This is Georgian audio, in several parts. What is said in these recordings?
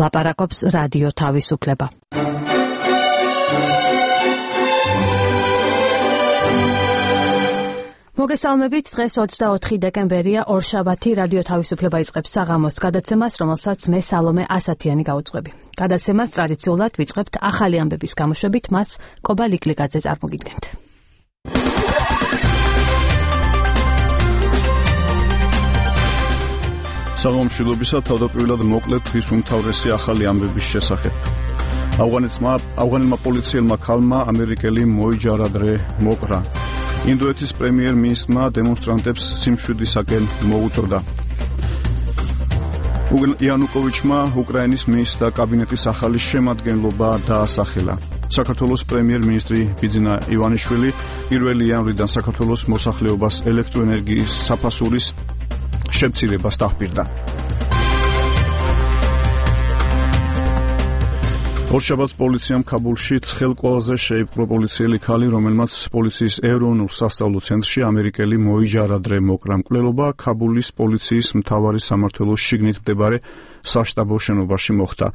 ლაპარაკობს რადიო თავისუფლება. მოგესალმებით, დღეს 24 დეკემბერია, ორშაბათი, რადიო თავისუფლება იწყებს საღამოს გადაცემას, რომელსაც მე სალომე ასათიანი გავუძღვები. გადაცემას ტრადიციულად ვიწყებთ ახალი ამბების გამოშვებით, მას კობა ლიკლიკაძე წარმოგიდგენთ. საღამომშვიდობისა, თავდაპირველად მოკლედ დღის უმთავრესი ახალი ამბების შესახებ. ავღანელმა პოლიციელმა ქალმა ამერიკელი მოიჯარადრე მოკრა. ინდოეთის პრემიერ-მინისტრმა დემონსტრანტებს სიმშვიდისაკენ მოუწოდა. იანუკოვიჩმა უკრაინის მინისტრთა კაბინეტის ახალი შემადგენლობა დაასახელა. საქართველოს პრემიერ-მინისტრი ბიძინა ივანიშვილი 1 იანვრიდან საქართველოს მოსახლეობას ელექტროენერგიის საფასურის შემცირებას დახბირდა. ორშაბათს პოლიციამ ქაბულში ცხელ ყველაზე შეიპყრო პოლიციელი ქალი, რომელმაც პოლიციის ეროვნულ სასწავლო ცენტრში ამერიკელი მოიჯარადრე მოკრა. მკვლელობა ქაბულის პოლიციის მთავარი სამმართველოს შიგნით მდებარე საშტაბო შენობაში მოხდა.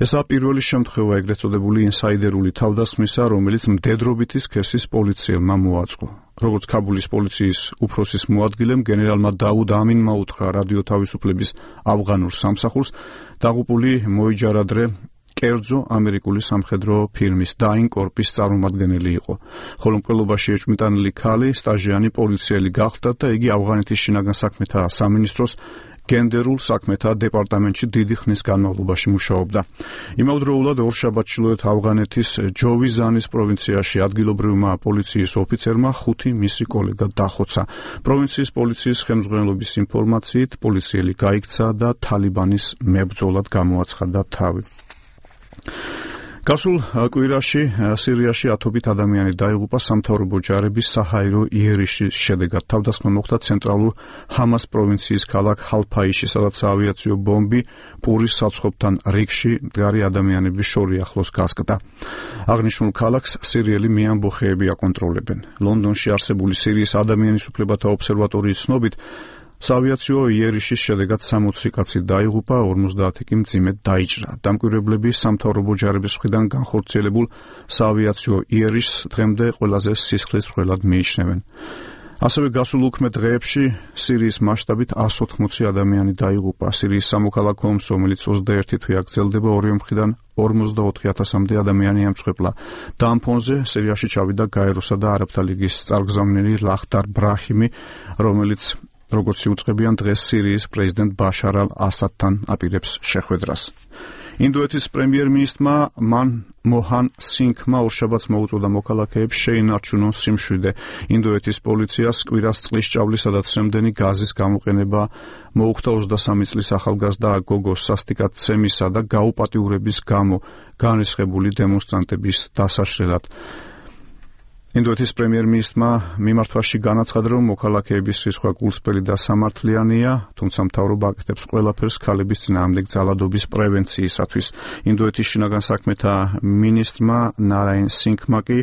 ესაა პირველი შემთხვევა ეგრეთ წოდებული ინსაიდერული თავდასხმისა, რომელიც მდედრობითი სქესის პოლიციელმა მოაწყო. როგორც ქაბულის პოლიციის უფროსის მოადგილემ გენერალმა დაუდ ამინმა უთხრა რადიო თავისუფლების ავღანურ სამსახურს, დაღუპული მოიჯარადრე კერძო ამერიკული სამხედრო ფირმის დაინ კორპის წარმომადგენელი იყო. ხოლო მკვლელობაში ეჭვმიტანილი ქალი სტაჟიანი პოლიციელი გახდა და იგი ავღანეთის შინაგან საქმეთა სამინისტროს გენდერულ საქმეთა დეპარტამენტში დიდი ხნის განმავლობაში მუშაობდა. იმავდროულად ორშაბათს ჩრდილოეთ ავღანეთის ჯოვიზანის პროვინციაში ადგილობრივმა პოლიციის ოფიცერმა 5 მისი კოლეგა დახოცა. პროვინციის პოლიციის ხელმძღვანელობის ინფორმაციით პოლიციელი გაიქცა და თალიბანის მებრძოლად გამოაცხადა თავი. გასულ კვირაში სირიაში ათობით ადამიანი დაიღუპა სამთავრობო ჯარების საჰაერო იერიშის შედეგად. თავდასხმა მოხდა ცენტრალურ ჰამას პროვინციის ქალაქ ჰალფაიში, სადაც ავიაციო ბომბი პურის საცხობთან რიგში მდგარი ადამიანების შორი ახლოს გასკდა. აღნიშნულ ქალაქს სირიელი მეამბოხეები აკონტროლებენ. ლონდონში არსებული სირიის ადამიანის უფლებათა ობსერვატორიის ცნობით, საავიაციო იერიშის შედეგად 60 კაცი დაიღუპა, 50 კი მძიმედ დაიჭრა. დამკვირვებლები სამთავრობო ჯარების მხრიდან განხორციელებულ საავიაციო იერიშს დღემდე ყველაზე სისხლის მკვლელად მიიჩნევენ. ასევე გასულ უქმე დღეებში სირიის მასშტაბით 180 ადამიანი დაიღუპა. სირიის სამოქალაქო ომს, რომელიც 21 თვე აგრძელდება, ორივე მხრიდან 44,000-მდე ადამიანი ემწხვეპლა. და ამ ფონზე სირიაში ჩავიდა გაეროსა და არაბთა ლიგის წარმგზავნელი ლახტარ ბრაჰიმი, რომელიც როგორც იუწყებიან დღეს სირიის პრეზიდენტ ბაშარ ალ-ასადთან აპირებს შეხვედრას. ინდოეთის პრემიერ-მინისტრმა მანმოჰან სინგმა ორშაბათს მოუწოდა მოქალაქეებს შეინარჩუნონ სიმშვიდე. ინდოეთის პოლიციას კვირას წყლის ჭავლისა და ცრემდენი გაზის გამოყენება მოუხდა 23 წლის ახალგაზრდა გოგოს სასტიკაცემისა და გაუპატიურების გამო განრისხებული დემონსტრანტების დასაშლელად. ინდოეთის პრემიერ-მინისტრმა მიმართვაში განაცხადა, რომ მოქალაქეების რისხვა გულსწრაფი და სამართლიანია, თუმცა მთავრობა აკეთებს ყველაფერს ქალების წინააღმდეგ ძალადობის პრევენციისათვის. ინდოეთის შინაგან საქმეთა მინისტრმა ნარაინ სინგმა კი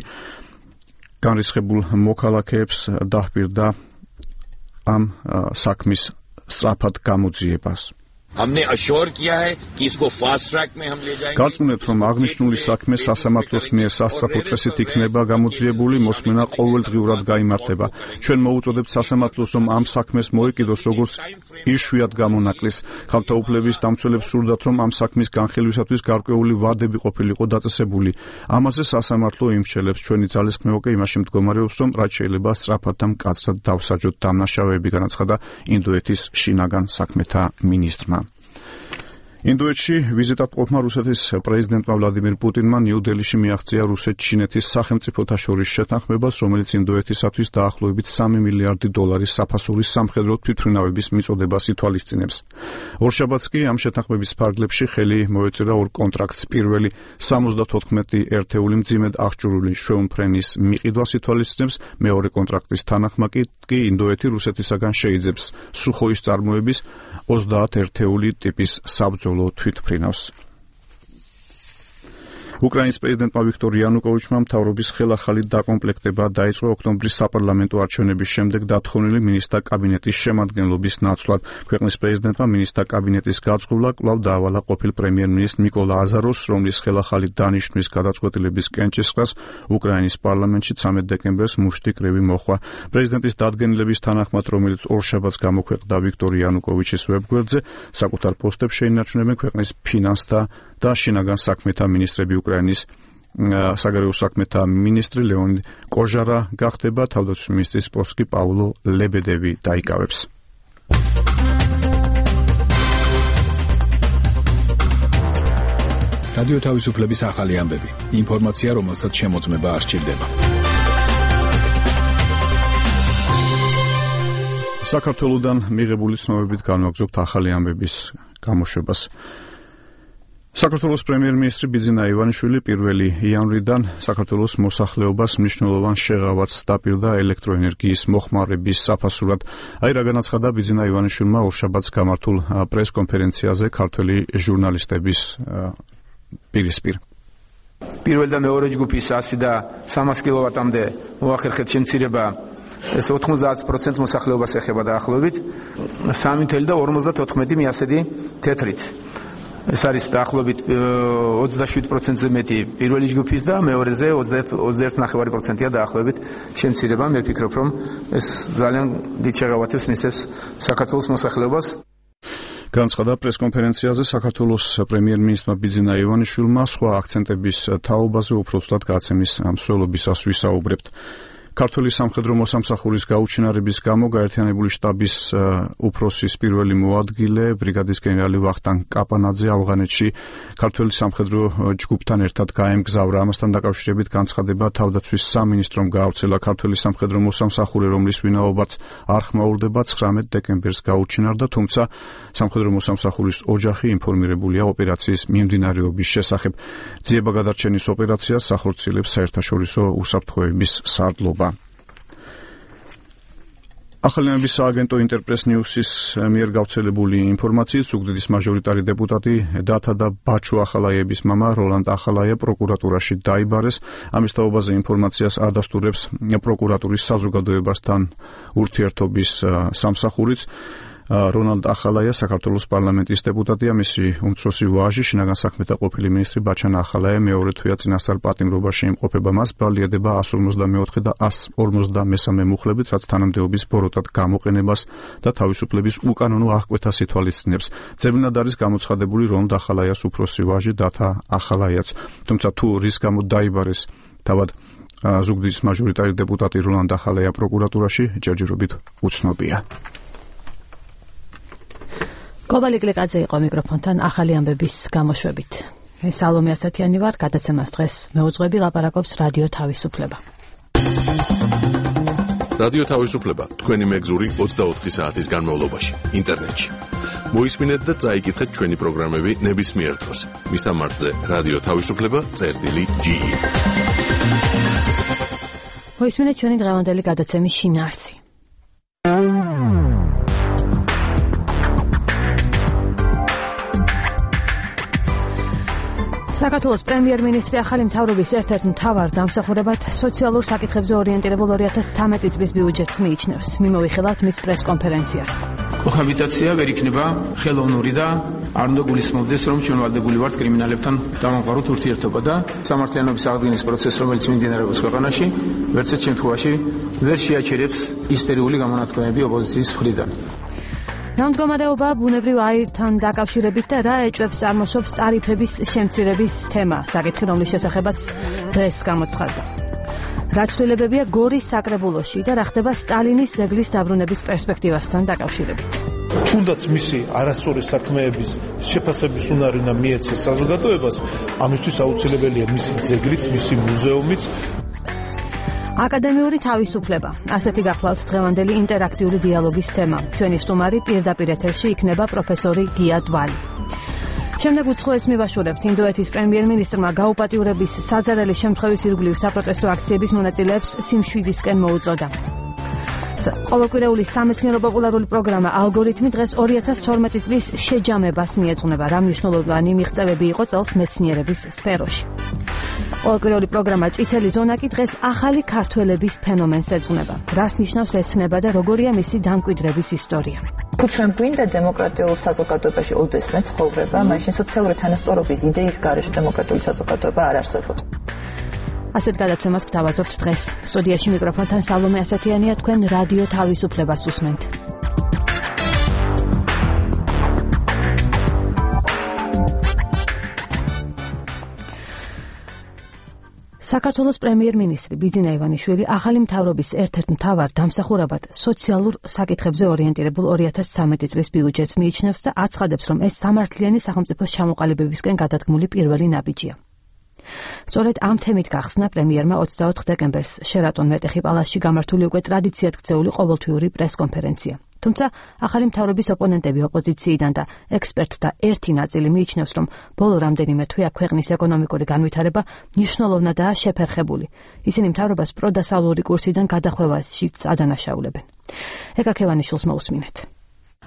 განრისხებულ მოქალაქეებს დაჰპირდა ამ საქმის სწრაფად გამოძიებას. გარწმუნებთ, რომ აღნიშნული საქმე სასამართლოს მიერ სასწრაფო წესით იქნება გამოძიებული, მოსმენა ყოველდღიურად გაიმართება. ჩვენ მოუწოდებთ სასამართლოს, რომ ამ საქმეს მოეკიდოს როგორც იშვიათ გამონაკლის. ქალთა უფლების დამცველებს სურდათ, რომ ამ საქმის განხილვისათვის გარკვეული ვადები ყოფილიყო დაწესებული. ამაზე სასამართლო იმსჯელებს. ჩვენი ძალისხმევა კი იმაში მდგომარეობს, რომ რაც შეიძლება სწრაფად და მკაცრად დავსაჯოთ დამნაშავეები, განაცხადა ინდოეთის შინაგან საქმეთა მინისტრმა. ინდოეთში ვიზიტად ყოფნა რუსეთის პრეზიდენტმა ვლადიმირ პუტინმა ნიუ-დელიში მიაღწია რუსეთ-ჩინეთის სახელმწიფოთა შორის შეთანხმებას, რომელიც ინდოეთისათვის დაახლოებით 3 მილიარდი დოლარის საფასურის სამხედრო თვითმფრინავების მიწოდებას ითვალისწინებს. ორშაბათს კი ამ შეთანხმების ფარგლებში ხელი მოეწერა ორ კონტრაქტს. პირველი 74 ერთეული მძიმედ აღჭურვილი შვეულმფრენის მიყიდვას ითვალისწინებს, მეორე კონტრაქტის თანახმა კი ინდოეთი რუსეთისაგან შეიძებს სუხოის წარმოების 30 ერთეული ტიპის საბრძოლო თვითმფრინავს. უკრაინის პრეზიდენტმა ვიქტორ იანუკოვიჩმა მთავრობის ხელახალი დაკომპლექტება დაიწყო ოქტომბრის საპარლამენტო არჩევნების შემდეგ დათხოვნილი მინისტრთა კაბინეტის შემადგენლობის ნაცვლად. ქვეყნის პრეზიდენტმა მინისტრთა კაბინეტის გაწყობლა კვლავ დაავალა ყოფილ პრემიერ-მინისტრ ნიკოლა აზაროვს, რომლის ხელახალი დანიშვნის გადაწყვეტილების კენჭისყრას უკრაინის პარლამენტში 13 დეკემბერს მუშტი კრივი მოხდა. პრეზიდენტის დადგენილების თანახმად, რომელიც ორშაბათს გამოქვეყნდა ვიქტორ იანუკოვიჩის ვებგვერდზე, საკუთარ პოსტებს შეინარჩუნებენ ქვეყნის ფინანსთა და შინაგან საქმეთა მინისტრები. უკრაინის საგარეო საქმეთა მინისტრი ლეონიდ კოჟარა გახდება, თავდაცვის მინისტრის პოსტს კი პაულო ლებედევი დაიკავებს. რადიო თავისუფლების ახალი ამბები. ინფორმაცია, რომელსაც შემოწმება არ სჭირდება. საქართველოდან მიღებული ცნობებით განვაგრძობთ ახალი ამბების გამოშვებას. საქართველოს პრემიერ-მინისტრი ბიძინა ივანიშვილი 1 იანვრიდან საქართველოს მოსახლეობას მნიშვნელოვან შეღავათს დაპირდა ელექტროენერგიის მოხმარების საფასურად. რა განაცხადა ბიძინა ივანიშვილმა ორშაბათს გამართულ პრეს-კონფერენციაზე ქართველი ჟურნალისტების პირისპირ. პირველ და მეორე ჯგუფის 100 და 300 კილოვატამდე მოახერხეთ შემცირება. ეს 90% მოსახლეობას ეხება დაახლოებით 3.54 მიასედი თეთრით. ეს არის დაახლოებით 27%-ზე მეტი პირველი ჯგუფის და მეორეზე 21.9%-ია დაახლოებით შემცირება. მე ვფიქრობ, რომ ეს ძალიან დიდ შეღავათებს მისცემს საქართველოს მოსახლეობას. განცხადა პრეს-კონფერენციაზე საქართველოს პრემიერ-მინისტრმა ბიძინა ივანიშვილმა სხვა აქცენტების თაობაზე უბრალოდ გაცემის მსვლელობისას ვისაუბრებთ. ქართული სამხედრო მოსამსახურის გაუჩინარების გამო გაერთიანებული შტაბის უფროსის პირველი მოადგილე ბრიგადის გენერალი ვახტანგ კაპანაძე ავღანეთში ქართული სამხედრო ჯგუფთან ერთად გაემგზავრა. ამასთან დაკავშირებით განცხადება თავდაცვის სამინისტრომ გაავრცელა. ქართული სამხედრო მოსამსახური, რომლის ვინაობაც არ ხმაურდება, 19 დეკემბერს გაუჩინარდა, თუმცა სამხედრო მოსამსახურის ოჯახი ინფორმირებულია ოპერაციის მიმდინარეობის შესახებ. ძიება გადარჩენის ოპერაციას ახორციელებს საერთაშორისო უსაფრთხოების სარდლობა. ახალიანების სააგენტო ინტერპრეს ნიუსის მიერ გავრცელებული ინფორმაციით ზუგდიდის მაჟორიტარი დეპუტატი დათა და ბაჩუ ახალაიების მამა როლანდ ახალაია პროკურატურაში დაიბარეს. ამის თაობაზე ინფორმაციას ადასტურებს პროკურატურის საზოგადოებასთან ურთიერთობის სამსახურიც. როლანდ ახალაია საქართველოს პარლამენტის დეპუტატია, მისი უმცროსი ვაჟი, შინაგან საქმეთა ყოფილი მინისტრი ბაჩანა ახალაია მეორე თვეა წინასწარ პატიმრობაში იმყოფება. მას ბრალდებოდა 154 და 153 მუხლებით, რაც თანამდებობის ბოროტად გამოყენებას და თავისუფლების უკანონო აღკვეთას ითვალისწინებს. ძებნად არის გამოცხადებული როლანდ ახალაიას უფროსი ვაჟი დათა ახალაიაც. თუმცა თუ რის გამო დაიბარეს თავად ზუგდიდის მაჟორიტარი დეპუტატი როლანდ ახალაია პროკურატურაში, ჯერჯერობით უცნობია. გობალი კლიკაძე იყო მიკროფონთან ახალი ამბების გამოშვებით. მე სალომე ასათიანი ვარ, გადაცემას დღეს მეუძღვები ლაპარაკობს რადიო თავისუფლება. რადიო თავისუფლება თქვენი მეგზური 24 საათის განმავლობაში ინტერნეტში. მოისმინეთ და წაიკითხეთ ჩვენი პროგრამები ნებისმიერ დროს. მისამართზე რადიო თავისუფლება.ge. მოისმინეთ ჩვენი დღევანდელი გადაცემის შინაარსი. საქართველოს პრემიერ-მინისტრი ახალი მთავრობის ერთ-ერთ მთავარ დამსახურებად სოციალურ საკითხებზე ორიენტირებულ 2013 წლის ბიუჯეტს მიიჩნევს. მიმოვიხილავთ მის პრეს-კონფერენციას. კოჰაბიტაცია ვერ იქნება ხელოვნური და არ უნდა გულისხმობდეს, რომ ჩვენ ვალდებული ვართ კრიმინალებთან დამამყაროთ ურთიერთობა და სამართლიანობის აღდგენის პროცესს, რომელიც მიმდინარეობს ქვეყანაში, ვერცერთ შემთხვევაში ვერ შეაჩერებს ისტერიული გამონათქვამები ოპოზიციის მხრიდან. რა მდგომარეობა ბუნებრივ აირთან დაკავშირებით და რა ეჭვებს წარმოშობს ტარიფების შემცირების თემა, საკითხი, რომლის შესახებაც დღეს გამოცხადდა. რა ცვლილებებია გორის საკრებულოში და რა ხდება სტალინის ზეგლის დაბრუნების პერსპექტივასთან დაკავშირებით. თუნდაც მისი არასწორი საქმეების შეფასების უნარი უნდა მიეცეს საზოგადოებას, ამისთვის აუცილებელია მისი ძეგლიც, მისი მუზეუმიც. აკადემიური თავისუფლება. ასეთი გახლავთ დღევანდელი ინტერაქტიული დიალოგის თემა. ჩვენი სტუმარი პირდაპირ ეთერში იქნება პროფესორი გია დვალი. შემდეგ უცხოეს მივაშურებთ ინდოეთის პრემიერ-მინისტრმა გაუპატიურების საზარელი შემთხვევის ირგვლივ საპროტესტო აქციების მონაწილეებს სიმშვიდისკენ მოუწოდა. ყოველკვირეული სამეცნიერო პოპულარული პროგრამა ალგორითმი დღეს 2012 წლის შეჯამებას მიეძღვნება, რა მნიშვნელოვანი მიღწევები იყო წელს მეცნიერების სფეროში. ყოველკვირეული პროგრამა წითელი ზონა კი დღეს ახალი ქართველების ფენომენს ეძღვნება. რას ნიშნავს ეს ცნება და როგორია მისი დამკვიდრების ისტორია. თუ ჩვენ გვინდა დემოკრატიულ საზოგადოებაში ოდესმე ცხოვრება, მაშინ სოციალური თანასწორობის იდეის გარეშე დემოკრატიული საზოგადოება არ არსებობს. ასეთ გადაცემას გვთავაზობთ დღეს. სტუდიაში მიკროფონთან სალომე ასათიანია, თქვენ რადიო თავისუფლებას უსმენთ. საქართველოს პრემიერ-მინისტრი ბიძინა ივანიშვილი ახალი მთავრობის ერთ-ერთ მთავარ დამსახურებად სოციალურ საკითხებზე ორიენტირებულ 2013 წლის ბიუჯეტს მიიჩნევს და აცხადებს, რომ ეს სამართლიანი სახელმწიფოს ჩამოყალიბებისკენ გადადგმული პირველი ნაბიჯია. სწორედ ამ თემით გახსნა პრემიერმა 24 დეკემბერს შერატონ მეტეხი პალასში გამართული უკვე ტრადიციად ქცეული ყოველთვიური პრესკონფერენცია. თუმცა ახალი მთავრობის ოპონენტები ოპოზიციიდან და ექსპერტთა ერთი ნაწილი მიიჩნევს, რომ ბოლო რამდენიმე თვე ქვეყნის ეკონომიკური განვითარება მნიშვნელოვნადაა შეფერხებული. ისინი მთავრობას პროდასავლური კურსიდან გადახვევაშიც ადანაშაულებენ. ეკა ქევანიშვილს მოусმინეთ.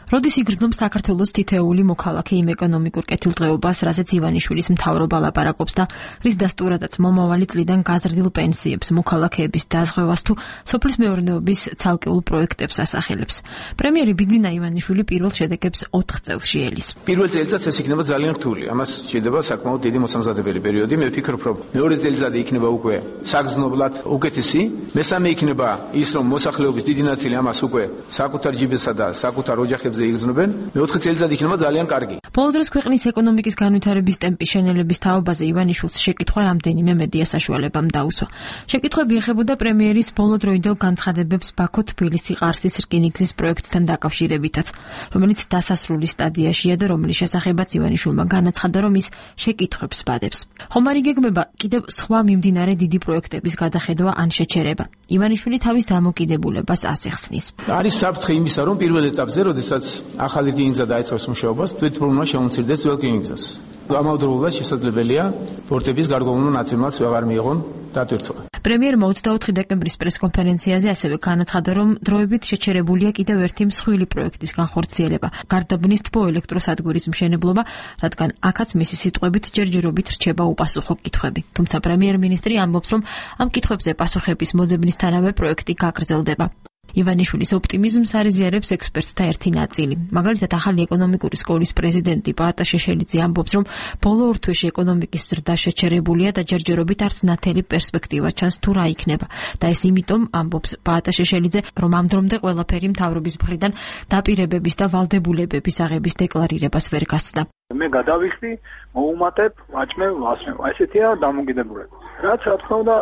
როდის იგრძნობს საქართველოს თითეული მოქალაქე იმ ეკონომიკურ კეთილდღეობას, რაზეც ივანიშვილის მთავრობა ლაპარაკობს და რის დასტურადაც მომავალი წლიდან გაზრდილ პენსიებს, მოქალაქეების დაზღვევას თუ სოფლის მეურნეობის ცალკეულ პროექტებს ასახელებს. პრემიერი ბიძინა ივანიშვილი პირველ შედეგებს 4 წელში ელის. პირველ წელიწადს ეს იქნება ძალიან რთული. ამას შეიძლება საკმაოდ დიდი მოსამზადებელი პერიოდი. მე ვფიქრობ, რომ მეორე წელიწადი იქნება უკვე საგრძნობლად უკეთესი. მესამე იქნება ის, რომ მოსახლეობის დიდი ნაწილი ამას უკვე საკუთარ ჯიბესა და საკუთარ ოჯახებს იგრძნობენ. მეოთხე წელიწადი იქნება ძალიან კარგი. ბოლო დროს ქვეყნის ეკონომიკის განვითარების ტემპის შენელების თაობაზე ივანიშვილს შეკითხვა რამდენიმე მედია საშუალებამ დაუსვა. შეკითხვები ეხებოდა პრემიერის ბოლოდროინდელ განცხადებებს ბაქო-თბილისი-ყარსის რკინიგზის პროექტთან დაკავშირებითაც, რომელიც დასასრული სტადიაშია და რომლის შესახებაც ივანიშვილმა განაცხადა, რომ ის შეკითხვებს ბადებს. ხომ არ იგეგმება კიდევ სხვა მიმდინარე დიდი პროექტების გადახედვა ან შეჩერება. ივანიშვილი თავის დამოკიდებულებას ასე ხსნის. არის საფრთხე იმისა, რომ პირველ ეტაპზე, როდესაც ახალი რკინიგზა დაიწყებს მუშაობას, თვითმფრინავმა შემომცირდეს ძველ რკინიგზას. ამავდროულად შესაძლებელია პორტების გარკვეულმა ნაწილმაც აღარ მიიღონ დატვირთვა. პრემიერმა 24 დეკემბრის პრესკონფერენციაზე ასევე განაცხადა, რომ დროებით შეჩერებულია კიდევ ერთი მსხვილი პროექტის განხორციელება, გარდაბნის თბოელექტროსადგურის მშენებლობა, რადგან აქაც მისი სიტყვებით ჯერჯერობით რჩება უპასუხო კითხვები. თუმცა პრემიერ-მინისტრი ამბობს, რომ ამ კითხვებზე პასუხების მოძებნისთანავე პროექტი გაგრძელდება. ივანიშვილის ოპტიმიზმს არიზიარებს ექსპერტთა ერთი ნაწილი. მაგალითად, ახალი ეკონომიკური სკოლის პრეზიდენტი პაატა შეშელიძე ამბობს, რომ ბოლო ორ თვეში ეკონომიკის ზრდა შეჩერებულია და ჯერჯერობით არც ნათელი პერსპექტივა ჩანს თუ რა იქნება. და ეს იმიტომ, ამბობს პაატა შეშელიძე, რომ ამ დრომდე ყველაფერი მთავრობის მხრიდან დაპირებების და ვალდებულებების აღების დეკლარირებას ვერ გასცდა. მე გადავიხდი, მოუმატებ, ვაჭმევ, ვასმევ. ესეთია დამოკიდებულება. რაც რა თქმა უნდა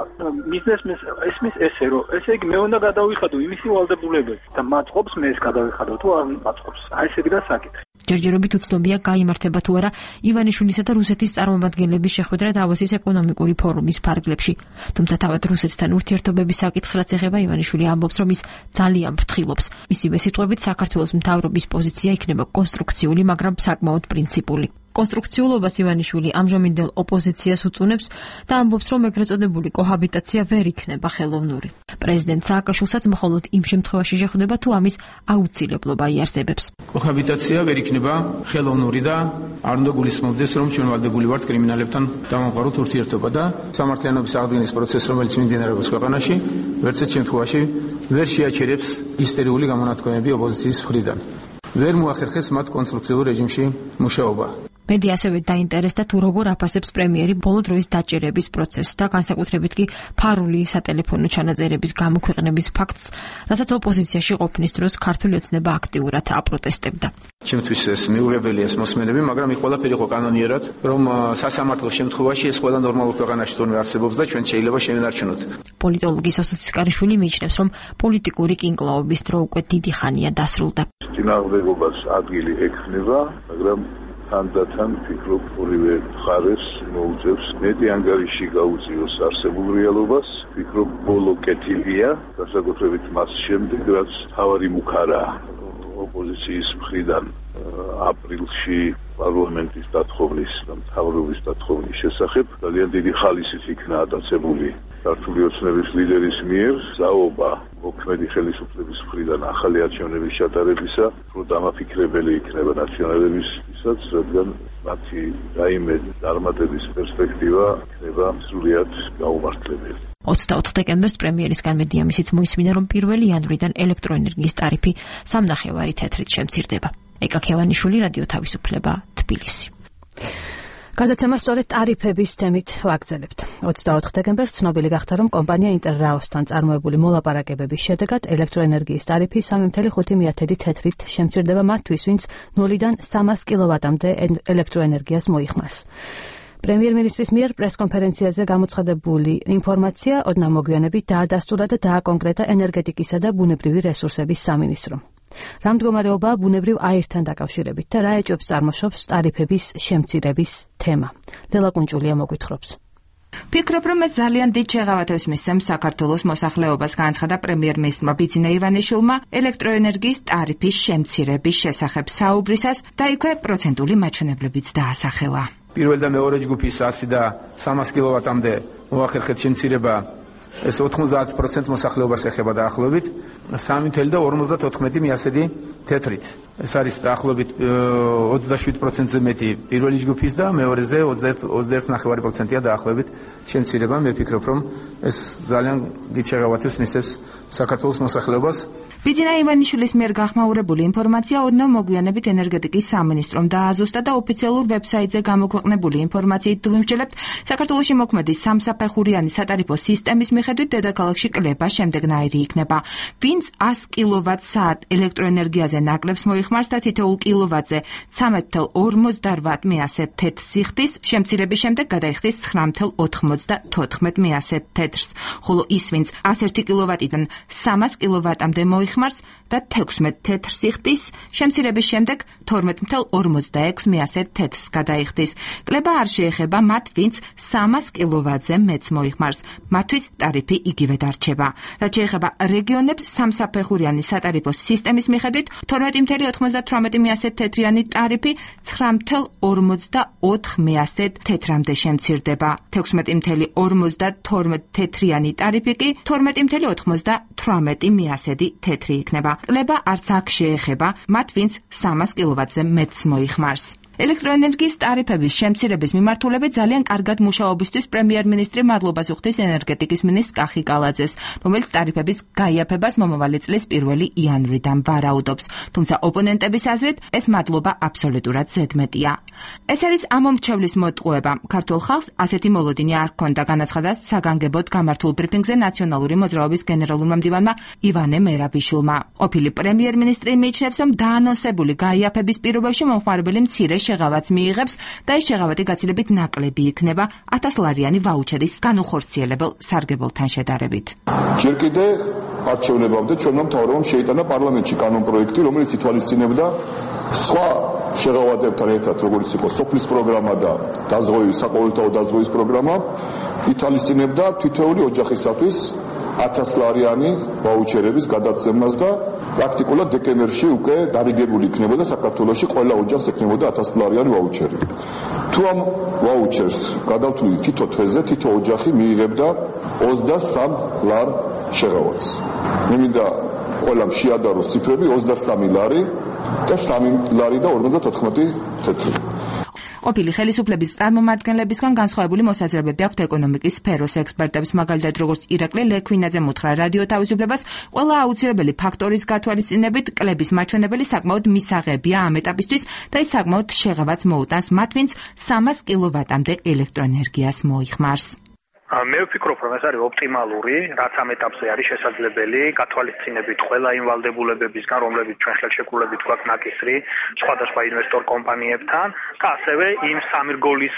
ბიზნესმენს ესმის ესე რომ ესე იგი მე უნდა გადავიხადო იმისი ვალდებულებები და მაწყობს მე ეს გადავიხადო თუ არ მაწყობს. აი ესე გდა საკითხი. ჯერჯერობით უცნობია გაიმართება თუ არა ივანიშვილისა და რუსეთის წარმომადგენლების შეხვედრა დავოსის ეკონომიკური ფორუმის ფარგლებში. თუმცა თავად რუსეთთან ურთიერთობების საკითხს რაც ეხება, ივანიშვილი ამბობს, რომ ის ძალიან ფრთხილობს. მისივე სიტყვებით, საქართველოს მთავრობის პოზიცია იქნება კონსტრუქციული, მაგრამ საკმაოდ პრინციპული. კონსტრუქციულობას ივანიშვილი ამჟამინდელ ოპოზიციას უწუნებს და ამბობს, რომ ეგრეთ წოდებული კოჰაბიტაცია ვერ იქნება ხელოვნური. პრეზიდენტ სააკაშვილსაც მხოლოდ იმ შემთხვევაში შეხვდება, თუ ამის აუცილებლობა იარსებებს. კოჰაბიტაცია ვერ იქნება ხელოვნური და არ უნდა გულისხმობდეს, რომ ჩვენ ვალდებული ვართ კრიმინალებთან დავამყაროთ ურთიერთობა და სამართლიანობის აღდგენის პროცესს, რომელიც მიმდინარეობს ქვეყანაში, ვერცერთ შემთხვევაში ვერ შეაჩერებს ისტერიული გამონათქვამები ოპოზიციის მხრიდან. ვერ მოახერხეს მათ კონსტრუქციულ რეჟიმში მუშაობა. მედია ასევე დაინტერესდა თუ როგორ აფასებს პრემიერი ბოლო დროის დაჭერების პროცესს და განსაკუთრებით კი ფარული სატელეფონო ჩანაწერების გამოქვეყნების ფაქტს, რასაც ოპოზიციაში ყოფნის დროს ქართული ოცნება აქტიურად აპროტესტებდა. ჩემთვის ეს მიუღებელია ეს მოსმენები, მაგრამ იქ ყველაფერი იყო კანონიერად, რომ სასამართლო შემთხვევაში ეს ყველა ნორმალურ ქვეყანაში თორემ არსებობს და ჩვენ შეიძლება შევინარჩუნოთ. პოლიტოლოგი სოსო ცისკარიშვილი მიიჩნევს, რომ პოლიტიკური კინკლაობის დრო უკვე დიდი ხანია დასრულდა. წინააღმდეგობას ადგილი ექნება, მაგრამ თანდათან ფიქრობ ორივე მხარეს მოუწევს მეტი ანგარიში გაუწიოს არსებულ რეალობას. ფიქრობ ბოლო კეთილია, განსაკუთრებით მას შემდეგ, რაც თავარი მუქარა ოპოზიციის მხრიდან აპრილში პარლამენტის დათხოვნის და მთავრობის დათხოვნის შესახებ ძალიან დიდი ხალისით იქნა ატაცებული ქართული ოცნების ლიდერის მიერ საუბა მოქმედი ხელისუფლების მხრიდან ახალი არჩევნების ჩატარებისა, რომ დამაფიქრებელი იქნება ნაციონალების შესაბამისად, რადგან მათი რაიმე წარმატების პერსპექტივა იქნება სრულიად გაუმართლებელი. 24 დეკემბერს პრემიერისგან მედია მისიც მოისმინა, რომ 1 იანვრიდან ელექტროენერგიის ტარიფი 3.5 თეთრით შემცირდება. ეკა ქევანიშვილი, რადიო თავისუფლება, თბილისი. გადაცემა სწორედ ტარიფების თემით ვაგრძელებთ. 24 დეკემბერს ცნობილი გახდა, რომ კომპანია ინტერრაოსთან წარმოებული მოლაპარაკებების შედეგად ელექტროენერგიის ტარიფი 3.5 თეთრით შემცირდება მათთვის, ვინც 0-დან 300 კილოვატამდე ელექტროენერგიას მოიხმარს. პრემიერ-მინისტრის მიერ პრესკონფერენციაზე გამოცხადებული ინფორმაცია ოდნავ მოგვიანებით დაადასტურა და დააკონკრეტა ენერგეტიკისა და ბუნებრივი რესურსების სამინისტრომ. რა მდგომარეობაა ბუნებრივ აირთან დაკავშირებით და რა ეჭვებს წარმოშობს ტარიფების შემცირების თემა. ლელა კუნჭულია მოგვითხრობს. ფიქრობ, რომ ეს ძალიან დიდ შეღავათებს მისცემს საქართველოს მოსახლეობას, განაცხადა პრემიერ-მინისტრმა ბიძინა ივანიშვილმა ელექტროენერგიის ტარიფის შემცირების შესახებ საუბრისას და იქვე პროცენტული მაჩვენებლებიც დაასახელა. პირველ და მეორე ჯგუფის 100 და 300 კილოვატამდე მოახერხეთ შემცირება, ეს 90% მოსახლეობას ეხება დაახლოებით 3.54 თეთრით. ეს არის დაახლოებით 27%-ზე მეტი პირველი ჯგუფის და მეორეზე 21.5%-ია დაახლოებით შემცირება. მე ვფიქრობ, რომ ეს ძალიან დიდ შეღავათებს მისცემს საქართველოს მოსახლეობას. ბიძინა ივანიშვილის მიერ გახმაურებული ინფორმაცია ოდნავ მოგვიანებით ენერგეტიკის სამინისტრომ დააზუსტა და ოფიციალურ ვებსაიტზე გამოქვეყნებული ინფორმაციით თუ ვიმსჯელებთ, საქართველოში მოქმედი სამსაფეხურიანი სატარიფო სისტემის მიხედვით დედაქალაქში კლება შემდეგნაირი იქნება. ვინც 100 კილოვატ-საათ ელექტროენერგიაზე ნაკლებს მოიხმარს და თითოეულ კილოვატზე 13.48 თეთრ სიხდის, შემცირების შემდეგ გადაიხდის 9.94 თეთრს, ხოლო ის, ვინც 101 კილოვატიდან 300 კილოვატამდე მოიხმარს და 16 თეთრ სიხდის, შემცირების შემდეგ 12.46 თეთრს გადაიხდის. კლება არ შეეხება მათ, ვინც 300 კილოვატზე მეც მოიხმარს. მათთვის ტარიფი იგივე დარჩება. რაც შეეხება რეგიონებს, სამსაფეხურიანი სატარიფო სისტემის მიხედვით 12.98 თეთრიანი ტარიფი 9.44 თეთრამდე შემცირდება. 16.52 თეთრიანი ტარიფი კი 12.98 თეთრი იქნება. კლება არც აქ შეეხება მათ, ვინც 300 კილოვატზე მეც მოიხმარს. ელექტროენერგიის ტარიფების შემცირების მიმართულებით ძალიან კარგად მუშაობისთვის პრემიერ-მინისტრი მადლობას უხდის ენერგეტიკის მინისტრ კახი კალაძეს, რომელიც ტარიფების გაიაფებას მომავალი წლის 1 იანვრიდან ვარაუდობს. თუმცა ოპონენტების აზრით ეს მადლობა აბსოლუტურად ზედმეტია. ეს არის ამომრჩევლის მოტყუება. ქართულ ხალხს ასეთი მოლოდინი არ ჰქონდა, განაცხადა საგანგებოდ გამართულ ბრიფინგზე ნაციონალური მოძრაობის გენერალურმა მდივანმა ივანე მერაბიშვილმა. ყოფილი პრემიერ-მინისტრი მიიჩნევს, რომ დაანონსებული გაიაფების პირობებში მომხმარებელი მცირე შეღავათს მიიღებს და ეს შეღავათი გაცილებით ნაკლები იქნება 1000 ლარიანი ვაუჩერის განუხორციელებელ სარგებელთან შედარებით. ჯერ კიდე არჩევნებამდე ჩვენმა მთავრობამ შეიტანა პარლამენტში კანონპროექტი, რომელიც ითვალისწინებდა სხვა შეღავათებთან ერთად, როგორც იყო სოფლის პროგრამა და დაზღვევის, საყოველთაო დაზღვევის პროგრამა, ითვალისწინებდა თითოეული ოჯახისათვის 1000 ლარიანი ვაუჩერების გადაცემას და პრაქტიკულად დეკემბერში უკვე დარიგებული იქნებოდა საქართველოში ყველა ოჯახს ექნებოდა 1000 ლარიანი ვაუჩერი. თუ ამ ვაუჩერს გადავთვლით თითო თვეზე, თითო ოჯახი მიიღებდა 23 ლარ შეღავათს. მე მინდა ყველამ შეადაროს ციფრები 23 ლარი და 3 ლარი და 54 თეთრი. ყოფილი ხელისუფლების წარმომადგენლებისგან განსხვავებული მოსაზრებები აქვთ ეკონომიკის სფეროს ექსპერტებს, მაგალითად როგორც ირაკლი ლექვინაძე მოთხრა რადიო თავისუფლებას, ყველა აუცილებელი ფაქტორის გათვალისწინებით კლების მაჩვენებელი საკმაოდ მისაღებია ამ ეტაპისთვის და ის საკმაოდ შეღავათს მოუტანს მათ, ვინც 300 კილოვატამდე ელექტროენერგიას მოიხმარს. მე ვფიქრობ, რომ ეს არის ოპტიმალური, რაც ამ ეტაპზე არის შესაძლებელი, გათვალისწინებით ყველა იმ ვალდებულებებისგან, რომლებიც ჩვენ ხელშეკრულებით გვაქვს ნაკისრი სხვადასხვა ინვესტორ კომპანიებთან და ასევე იმ სამირგოლის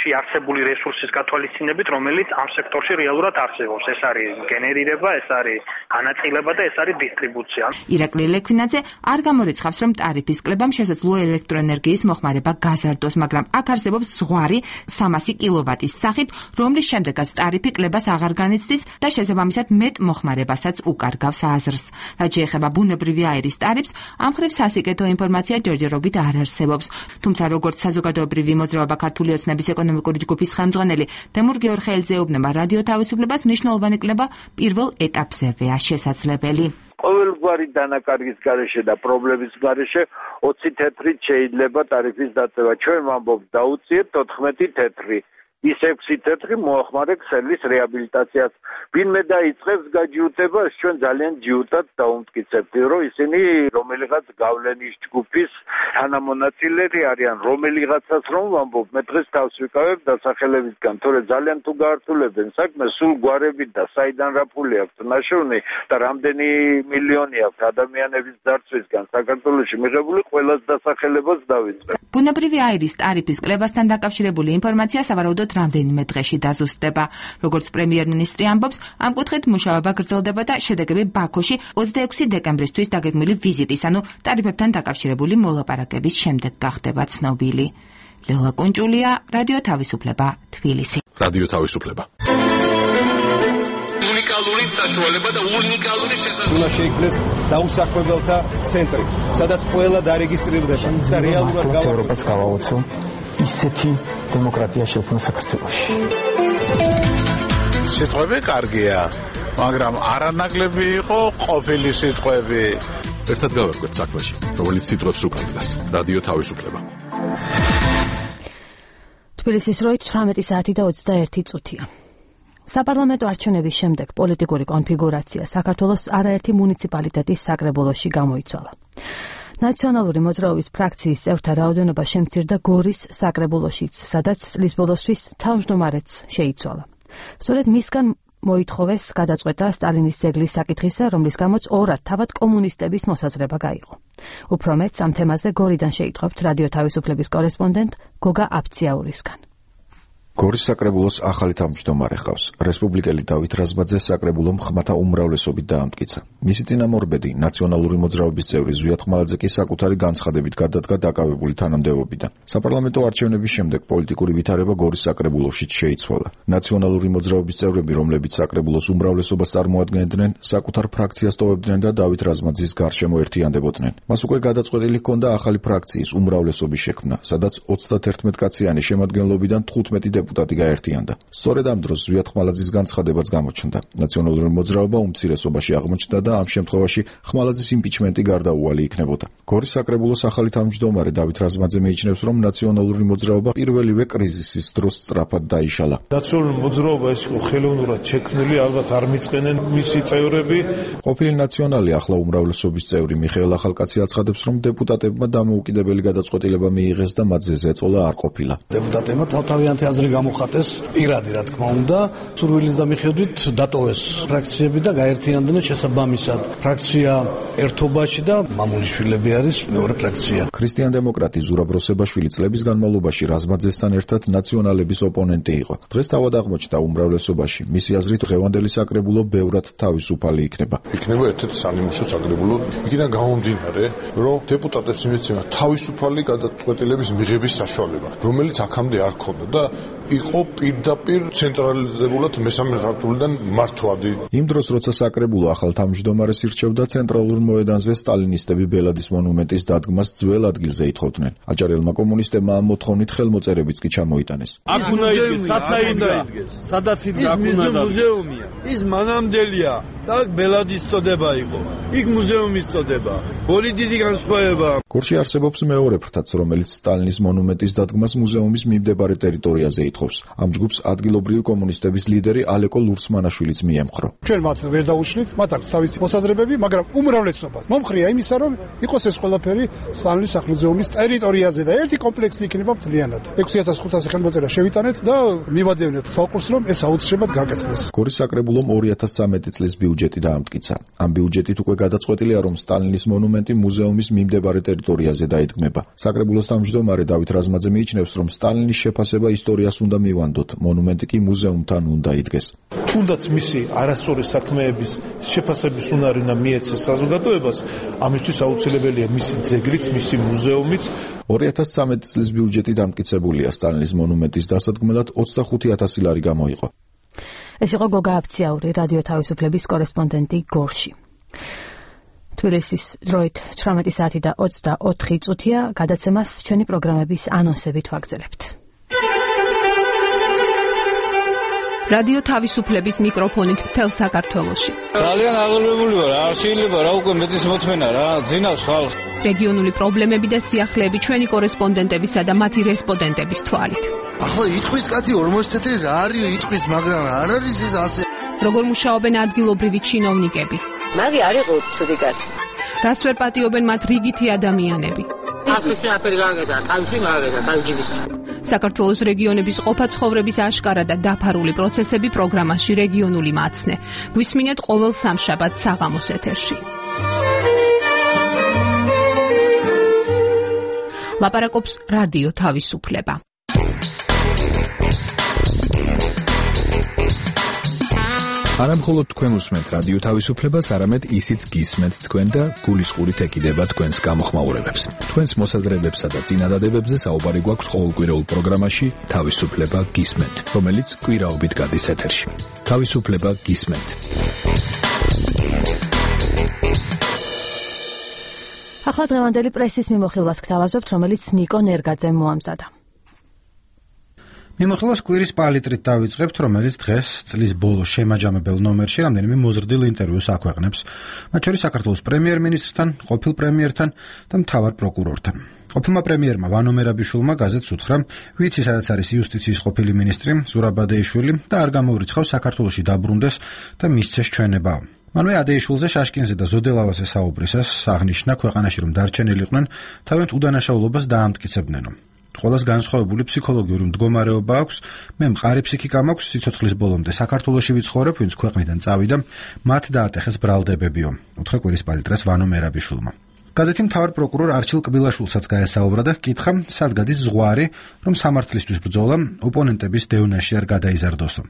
შეარსებული რესურსის გათვალისწინებით, რომელიც ამ სექტორში რეალურად არსებობს. ეს არის გენერირება, ეს არის განაწილება და ეს არის დისტრიბუცია. ირაკლი ლექვინაძე არ გამორიცხავს, რომ ტარიფის კლებამ შესაძლოა ელექტროენერგიის მოხმარება გაზარდოს, მაგრამ აქ არსებობს ზღვარი 300 კილოვატის სახით, რომლის შემდეგაც ტარიფი კლებას აღარ განიცდის და შესაბამისად მეტ მოხმარებასაც უკარგავს აზრს. რაც შეეხება ბუნებრივი აირის ტარიფს, ამ მხრივ სასიკეთო ინფორმაცია ჯერჯერობით არ არსებობს. თუმცა როგორც საზოგადოებრივი მოძრაობა ქართული ოცნების ეკონომიკური ჯგუფის ხელმძღვანელი თემურ გეორხელიძე ეუბნება რადიო თავისუფლებას, მნიშვნელოვანი კლება პირველ ეტაპზევეა შესაძლებელი. ყოველგვარი დანაკარგის გარეშე და პრობლემის გარეშე 20 თეთრით შეიძლება ტარიფის დაწევა. ჩვენ ვამბობთ დაუწიეთ 14 თეთრი. ის 6 თეთრი მოახმარე ქსელის რეაბილიტაციას. ვინმე დაიწყებს გაჯიუტებას, ჩვენ ძალიან ჯიუტად დავუმტკიცებთ, რომ ისინი რომელიღაც გავლენის ჯგუფის თანამონაწილეები არიან, რომელიღაცას რომ ვამბობ, მე დღეს თავს ვიკავებ დასახელებისგან, თორე ძალიან თუ გაართულებენ საქმეს, სულ გვარებით და საიდან რა ფული აქვს ნაშოვნი და რამდენი მილიონი აქვს ადამიანების დარწვისგან საქართველოში მიღებული ყველას დასახელებას დავიწყებ. ბუნებრივი აირის ტარიფის კლებასთან დაკავშირებული ინფორმაცია სავარაუდოდ რამდენიმე დღეში დაზუსტდება. როგორც პრემიერ-მინისტრი ამბობს, ამ კუთხით მუშაობა გრძელდება და შედეგები ბაქოში 26 დეკემბრისთვის დაგეგმილი ვიზიტის, ანუ ტარიფებთან დაკავშირებული მოლაპარაკების შემდეგ გახდება ცნობილი. ლელა კუნჭულია, რადიო თავისუფლება, თბილისი. რადიო თავისუფლება. უნიკალური საშუალება და უნიკალური შესაძლებლობა. უნდა შეიქმნეს დაუსაქმებელთა ცენტრი, სადაც ყველა დარეგისტრირდება და რეალურად ევროპას გავაოცო ისეთი დემოკრატია შექმნა საქართველოში. სიტყვები კარგია, მაგრამ არანაკლები იყო ყოფილი სიტყვები. ერთად გავარკვეთ საქმეში, რომელიც სიტყვებს უკარგავს. რადიო თავისუფლება. თბილისის როით 18 საათი და 21 წუთია. საპარლამენტო არჩევნების შემდეგ პოლიტიკური კონფიგურაცია საქართველოს არაერთი მუნიციპალიტეტის საკრებულოში გამოიცვალა. ნაციონალური მოძრაობის ფრაქციის წევრთა რაოდენობა შემცირდა გორის საკრებულოშიც, სადაც წლის ბოლოსთვის თავმჯდომარეც შეიცვალა. სწორედ მისგან მოითხოვეს გადაწყვეტა სტალინის ძეგლის საკითხისა, რომლის გამოც ორად თავად კომუნისტების მოსაზრება გაიღო. უფრო მეტს ამ თემაზე გორიდან შეიტყობთ რადიო თავისუფლების კორესპონდენტ გოგა აბციაურისგან. გორის საკრებულოს ახალი თავმჯდომარე ჰყავს. რესპუბლიკელი დავით რაზმაძე საკრებულომ ხმათა უმრავლესობით დაამტკიცა. მისი წინამორბედი, ნაციონალური მოძრაობის წევრი ზვიად ხმალაძე კი საკუთარი განცხადებით გადადგა დაკავებული თანამდებობიდან. საპარლამენტო არჩევნების შემდეგ პოლიტიკური ვითარება გორის საკრებულოშიც შეიცვალა. ნაციონალური მოძრაობის წევრები, რომლებიც საკრებულოს უმრავლესობას წარმოადგენდნენ, საკუთარ ფრაქციას ტოვებდნენ და დავით რაზმაძის გარშემო ერთიანდებოდნენ. მას უკვე გადაწყვეტილი ჰქონდა ახალი ფრაქციის უმრავლესობის შექმნა, სადაც 31 კაციანი შემადგენლობიდან 15 დეპუტატი გაერთიანდა. სწორედ ამ დროს ზვიად ხმალაძის განცხადებაც გამოჩნდა. ნაციონალური მოძრაობა უმცირესობაში აღმოჩნდა და ამ შემთხვევაში ხმალაძის იმპიჩმენტი გარდაუვალი იქნებოდა. გორის საკრებულოს ახალი თავმჯდომარე დავით რაზმაძე მიიჩნევს, რომ ნაციონალური მოძრაობა პირველივე კრიზისის დროს სწრაფად დაიშალა. ნაციონალური მოძრაობა ეს იყო ხელოვნურად შექმნილი, ალბათ არ მიწყენენ მისი წევრები. ყოფილი ნაციონალი ახლა უმრავლესობის წევრი მიხეილ ახალკაცი აცხადებს, რომ დეპუტატებმა დამოუკიდებელი გადაწყვეტილება მიიღეს და მათზე ზეწოლა არ ყოფილა. დეპუტატებმა თავთავიანთი აზრი გამოხატეს პირადი, რა თქმა უნდა, სურვილის და მიხედვით დატოვეს ფრაქციები და გაერთიანდნენ შესაბამისად. ფრაქცია ერთობაში და მამულიშვილები არის მეორე ფრაქცია. ქრისტიან დემოკრატი ზურაბ როსებაშვილი წლების განმავლობაში რაზმაძესთან ერთად ნაციონალების ოპონენტი იყო. დღეს თავად აღმოჩნდა უმრავლესობაში. მისი აზრით დღევანდელი საკრებულო ბევრად თავისუფალი იქნება. იქნება ერთ-ერთი სამიმუშო საკრებულო. იქიდან გამომდინარე, რომ დეპუტატებს იმეცება თავისუფალი გადაწყვეტილების მიღების საშუალება, რომელიც აქამდე არ ჰქონდა და იყო პირდაპირ ცენტრალიზებულად მესამე სართულიდან მართვადი. იმ დროს, როცა საკრებულო ახალ თავმჯდომარეს ირჩევდა, ცენტრალურ მოედანზე სტალინისტები ბელადის მონუმენტის დადგმას ძველ ადგილზე ითხოვდნენ. აჭარელმა კომუნისტებმა ამ მოთხოვნით ხელმოწერებიც კი ჩამოიტანეს. აქ უნდა იდგეს, საცაიდა იდგეს, სადაც იდგეს აქ უნდა მუზეუმია. ის მანამდელია და ბელადის წოდება იყო. იქ მუზეუმის წოდება. ორი დიდი განსხვავება. გორში არსებობს მეორე ფრთაც, რომელიც სტალინის მონუმენტის დადგმას მუზეუმის მიმდებარე ტერიტორიაზე ითხოვს. ამ ჯგუფს ადგილობრივი კომუნისტების ლიდერი ალეკო ლურსმანაშვილიც მიემხრო. ჩვენ მათ ვერ დაუშლით, მათ აქვს თავისი მოსაზრებები, მაგრამ უმრავლესობას მომხრია იმისა, რომ იყოს ეს ყველაფერი სტალინის სახლ-მუზეუმის ტერიტორიაზე და ერთი კომპლექსი იქნება მთლიანად. 6500 ხელმოწერა შევიტანეთ და მივადევნებთ თვალყურს, რომ ეს აუცილებლად გაკეთდეს. გორის საკრებულომ 2013 წლის ბიუჯეტი დაამტკიცა. ამ ბიუჯეტით უკვე გადაწყვეტილია, რომ სტალინის მონუმენტი მუზეუმის მიმდებარე ტერიტორიაზე დაიდგმება. საკრებულოს თავმჯდომარე დავით რაზმაძე მიიჩნევს, რომ სტალინის შეფასება ისტორიას უნდა მივანდოთ, მონუმენტი კი მუზეუმთან უნდა იდგეს. თუნდაც მისი არასწორი საქმეების შეფასების უნარი უნდა მიეცეს საზოგადოებას, ამისთვის აუცილებელია მისი ძეგლიც, მისი მუზეუმიც. 2013 წლის ბიუჯეტი დამტკიცებულია, სტალინის მონუმენტის დასადგმელად 25000 ლარი გამოიყო. ეს იყო გოგა აბციაური, რადიო თავისუფლების კორესპონდენტი გორში. თბილისის დროით 18 საათი და 24 წუთია, გადაცემას ჩვენი პროგრამების ანონსებით ვაგრძელებთ. რადიო თავისუფლების მიკროფონით მთელ საქართველოში. ძალიან აღელვებული ვარ, არ შეიძლება რა უკვე მეტის მოთმენა რა, ძინავს ხალხს. რეგიონული პრობლემები და სიახლეები ჩვენი კორესპონდენტებისა და მათი რესპონდენტების თვალით. ახლა იტყვის კაცი 40 წელი რა არის იტყვის, მაგრამ არ არის ეს ასე. როგორ მუშაობენ ადგილობრივი ჩინოვნიკები? მაგი არ იყო ცუდი კაცი. რას ვერ პატიობენ მათ რიგითი ადამიანები? ახლა აფერი გაგედა, თავში მაგედა, თავჯიბის. საქართველოს რეგიონების ყოფა ცხოვრების აშკარა და დაფარული პროცესები პროგრამაში რეგიონული მაცნე. გვისმინეთ ყოველ სამშაბათს საღამოს ეთერში. ლაპარაკობს რადიო თავისუფლება. არა მხოლოდ თქვენ უსმენთ რადიო თავისუფლებას, არამედ ისიც გისმენთ თქვენ და გულისყურით ეკიდება თქვენს გამოხმაურებებს. თქვენს მოსაზრებებსა და წინადადებებზე საუბარი გვაქვს ყოველკვირეულ პროგრამაში თავისუფლება გისმენთ, რომელიც კვირაობით გადის ეთერში. თავისუფლება გისმენთ. ახლა დღევანდელი პრესის მიმოხილვას გთავაზობთ, რომელიც ნიკო ნერგაძემ მოამზადა. მიმოხილვას კვირის პალიტრით დავიწყებთ, რომელიც დღეს წლის ბოლოს შემაჯამებელ ნომერში რამდენიმე მოზრდილ ინტერვიუს აქვეყნებს, მათ შორის საქართველოს პრემიერ-მინისტრთან, ყოფილ პრემიერთან და მთავარ პროკურორთან. ყოფილმა პრემიერმა ვანო მერაბიშვილმა გაზეთს უთხრა, ვიცი სადაც არის იუსტიციის ყოფილი მინისტრი ზურაბ ადეიშვილი და არ გამოურიცხავს საქართველოში დაბრუნდეს და მისცეს ჩვენებაო. მანვე ადეიშვილზე, შაშკინზე და ზოდელავაზე საუბრისას აღნიშნა ქვეყანაში რომ დარჩენილიყვნენ, თავიანთ უდანაშაულობას დაამტკიცებდნენო. ყველას განსხვავებული ფსიქოლოგიური მდგომარეობა აქვს, მე მყარი ფსიქიკა მაქვს, სიცოცხლის ბოლომდე საქართველოში ვიცხოვრებ, ვინც ქვეყნიდან წავიდა, მათ დაატეხეს ბრალდებებიო, უთხრა კვირის პალიტრას ვანო მერაბიშვილმა. გაზეთი მთავარ პროკურორ არჩილ კბილაშვილსაც გაესაუბრა და ჰკითხა, სად გადის ზღვარი, რომ სამართლისთვის ბრძოლა ოპონენტების დევნაში არ გადაიზარდოსო.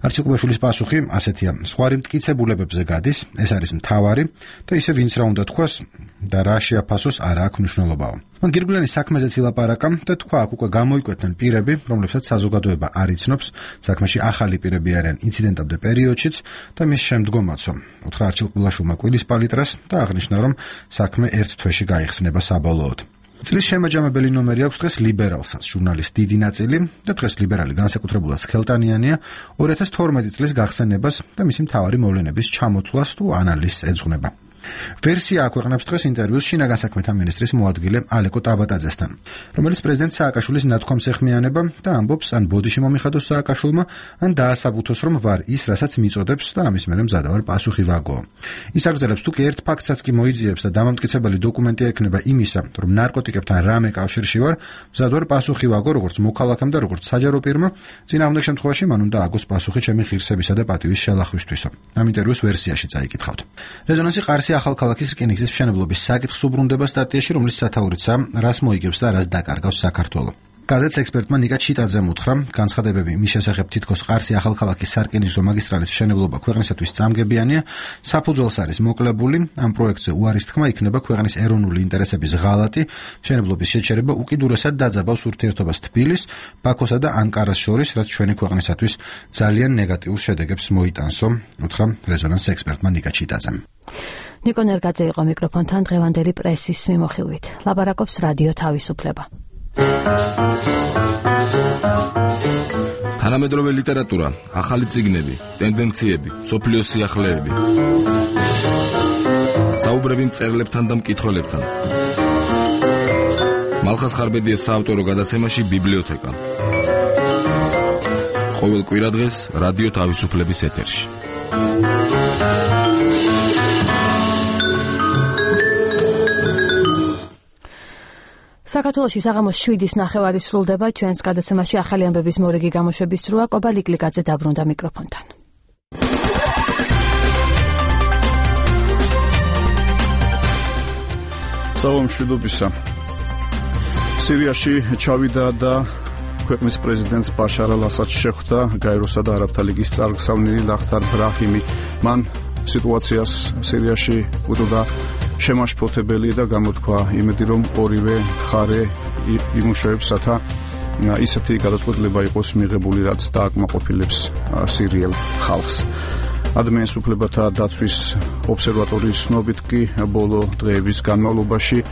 არჩილ კბილაშვილის პასუხი ასეთია: ზღვარი მტკიცებულებებზე გადის, ეს არის მთავარი და ისე ვინც რა უნდა თქვას და რა შეაფასოს არ აქვს მნიშვნელობაო. მან გირგვლენის საქმეზეც ილაპარაკა და თქვა, აქ უკვე გამოიკვეთნენ პირები, რომლებსაც საზოგადოება არ იცნობს, საქმეში ახალი პირები არიან ინციდენტამდე პერიოდშიც და მის შემდგომაცო. უთხრა არჩილ კბილაშვილმა კვირის პალიტრას და აღნიშნა, რომ საქმე ერთ თვეში გაიხსნება საბოლოოდ. წლის შემაჯამებელი ნომერი აქვს დღეს ლიბერალსაც, ჟურნალის დიდი ნაწილი და დღეს ლიბერალი განსაკუთრებულად სქელტანიანია 2012 წლის გახსენებას და მისი მთავარი მოვლენების ჩამოთვლას თუ ანალიზს ეძღვნება. ვერსია აქვეყნებს დღეს ინტერვიუს შინაგან საქმეთა მინისტრის მოადგილე ალეკო ტაბატაძესთან, რომელიც პრეზიდენტ სააკაშვილის ნათქვამს ეხმიანება და ამბობს, ან ბოდიში მომიხადოს სააკაშვილმა, ან დაასაბუთოს, რომ ვარ ის, რასაც მიწოდებს და ამის მერე მზადავარ პასუხი ვაგო. ის აგრძელებს, თუ კი ერთ ფაქტსაც კი მოიძიებს და დამამტკიცებელი დოკუმენტი ექნება იმისა, რომ ნარკოტიკებთან რამე კავშირში ვარ, მზადავარ პასუხი ვაგო, როგორც მოქალაქემ და როგორც საჯარო პირმა, წინააღმდეგ შემთხვევაში მან უნდა აგოს პასუხი ჩემი ღირსებისა და პატივის შელახვისთვისო. ამ ინტერვიუს ვერსიაში წაიკითხავთ. რეზონანსი ყარსი ახალქალაქის რკინიგზის მშენებლობის საკითხს უბრუნდება სტატიაში, რომლის სათაურიცაა, რას მოიგებს და რას დაკარგავს საქართველო. გაზეთს ექსპერტმა ნიკა ჩიტაძემ უთხრა, განცხადებები მის შესახებ თითქოს ყარსი ახალქალაქის სარკინიგზო მაგისტრალის მშენებლობა ქვეყნისათვის წამგებიანია, საფუძველს არის მოკლებული, ამ პროექტზე უარის თქმა იქნება ქვეყნის ეროვნული ინტერესების ღალატი, მშენებლობის შეჩერება უკიდურესად დაძაბავს ურთიერთობას თბილის, ბაქოსა და ანკარას შორის, რაც ჩვენი ქვეყნისათვის ძალიან ნეგატიურ შედეგებს მოიტანსო, უთხრა რეზონანს ექსპერტმა ნიკა ჩიტაძემ. ნიკო ნერგაძე იყო მიკროფონთან დღევანდელი პრესის მიმოხილვით. ლაპარაკობს რადიო თავისუფლება. თანამედროვე ლიტერატურა, ახალი წიგნები, ტენდენციები, სოფლიოს სიახლეები. საუბრები მწერლებთან და მკითხველებთან. მალხას ხარბედიას საავტორო გადაცემაში ბიბლიოთეკა. ყოველ კვირადღეს რადიო თავისუფლების ეთერში. საქართველოში საღამოს 7-ის ნახევარი სრულდება, ჩვენს გადაცემაში ახალი ამბების მორიგი გამოშვების დროა, კობა ლიკლიკაძე დაბრუნდა მიკროფონთან. მშვიდობისა. სირიაში ჩავიდა და ქვეყნის პრეზიდენტს ბაშარ ალ-ასადს შეხვდა გაეროსა და არაბთა ლიგის წარგზავნილი ლახთარ ბრაჰიმი. მან სიტუაციას სირიაში უდოდა შემაშფოთებელი და გამოთქვა იმედი, რომ ორივე მხარე იმუშავებს, რათა ისეთი გადაწყვეტილება იყოს მიღებული, რაც დააკმაყოფილებს სირიელ ხალხს. ადამიანის უფლებათა დაცვის ობსერვატორიის ცნობით კი ბოლო დღეების განმავლობაში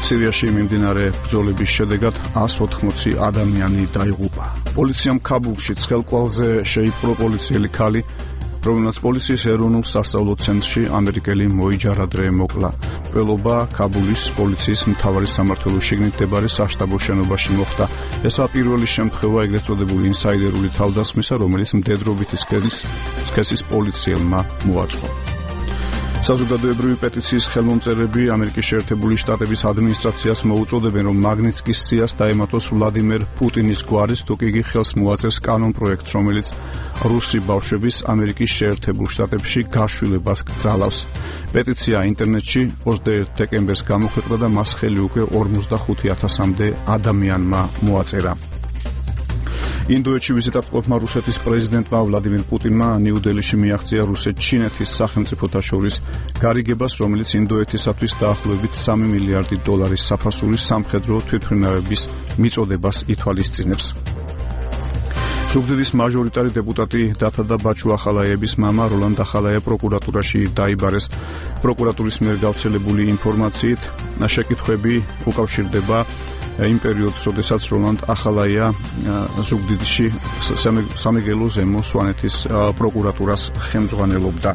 სირიაში მიმდინარე ბრძოლების შედეგად 180 ადამიანი დაიღუპა. პოლიციამ ქაბულში ცხელკვალზე შეიპყრო პოლიციელი ქალი, რომელსაც პოლიციის ეროვნულ სასწავლო ცენტრში ამერიკელი მოიჯარადრე მოკლა. მკვლელობა ქაბულის პოლიციის მთავარი სამმართველოს შიგნით მდებარე საშტაბო შენობაში მოხდა. ესაა პირველი შემთხვევა ეგრეთ წოდებული ინსაიდერული თავდასხმისა, რომელიც მდედრობითი სქესის პოლიციელმა მოაწყო. საზოგადოებრივი პეტიციის ხელმომწერები ამერიკის შეერთებული შტატების ადმინისტრაციას მოუწოდებენ, რომ მაგნიცკის სიას დაემატოს ვლადიმერ პუტინის გვარის, თუ კი იგი ხელს მოაწერს კანონპროექტს, რომელიც რუსი ბავშვების ამერიკის შეერთებულ შტატებში გაშვილებას გძალავს. პეტიცია ინტერნეტში 21 დეკემბერს გამოქვეყნდა და მას ხელი უკვე 45,000-მდე ადამიანმა მოაწერა. ინდოეთში ვიზიტად მყოფმა რუსეთის პრეზიდენტმა ვლადიმირ პუტინმა ნიუ-დელიში მიაღწია რუსეთ-ჩინეთის სახელმწიფოთა შორის გარიგებას, რომელიც ინდოეთისათვის დაახლოებით $3 მილიარდი საფასურის სამხედრო თვითმფრინავების მიწოდებას ითვალისწინებს. ზუგდიდის მაჟორიტარი დეპუტატი დათადა ბაჩუ ახალაიების მამა როლანდ ახალაია პროკურატურაში დაიბარეს. პროკურატურის მიერ გავრცელებული ინფორმაციით შეკითხვები უკავშირდება იმ პერიოდს, როდესაც როლანდ ახალაია ზუგდიდში სამეგრელო ზემო სვანეთის პროკურატურას ხელმძღვანელობდა.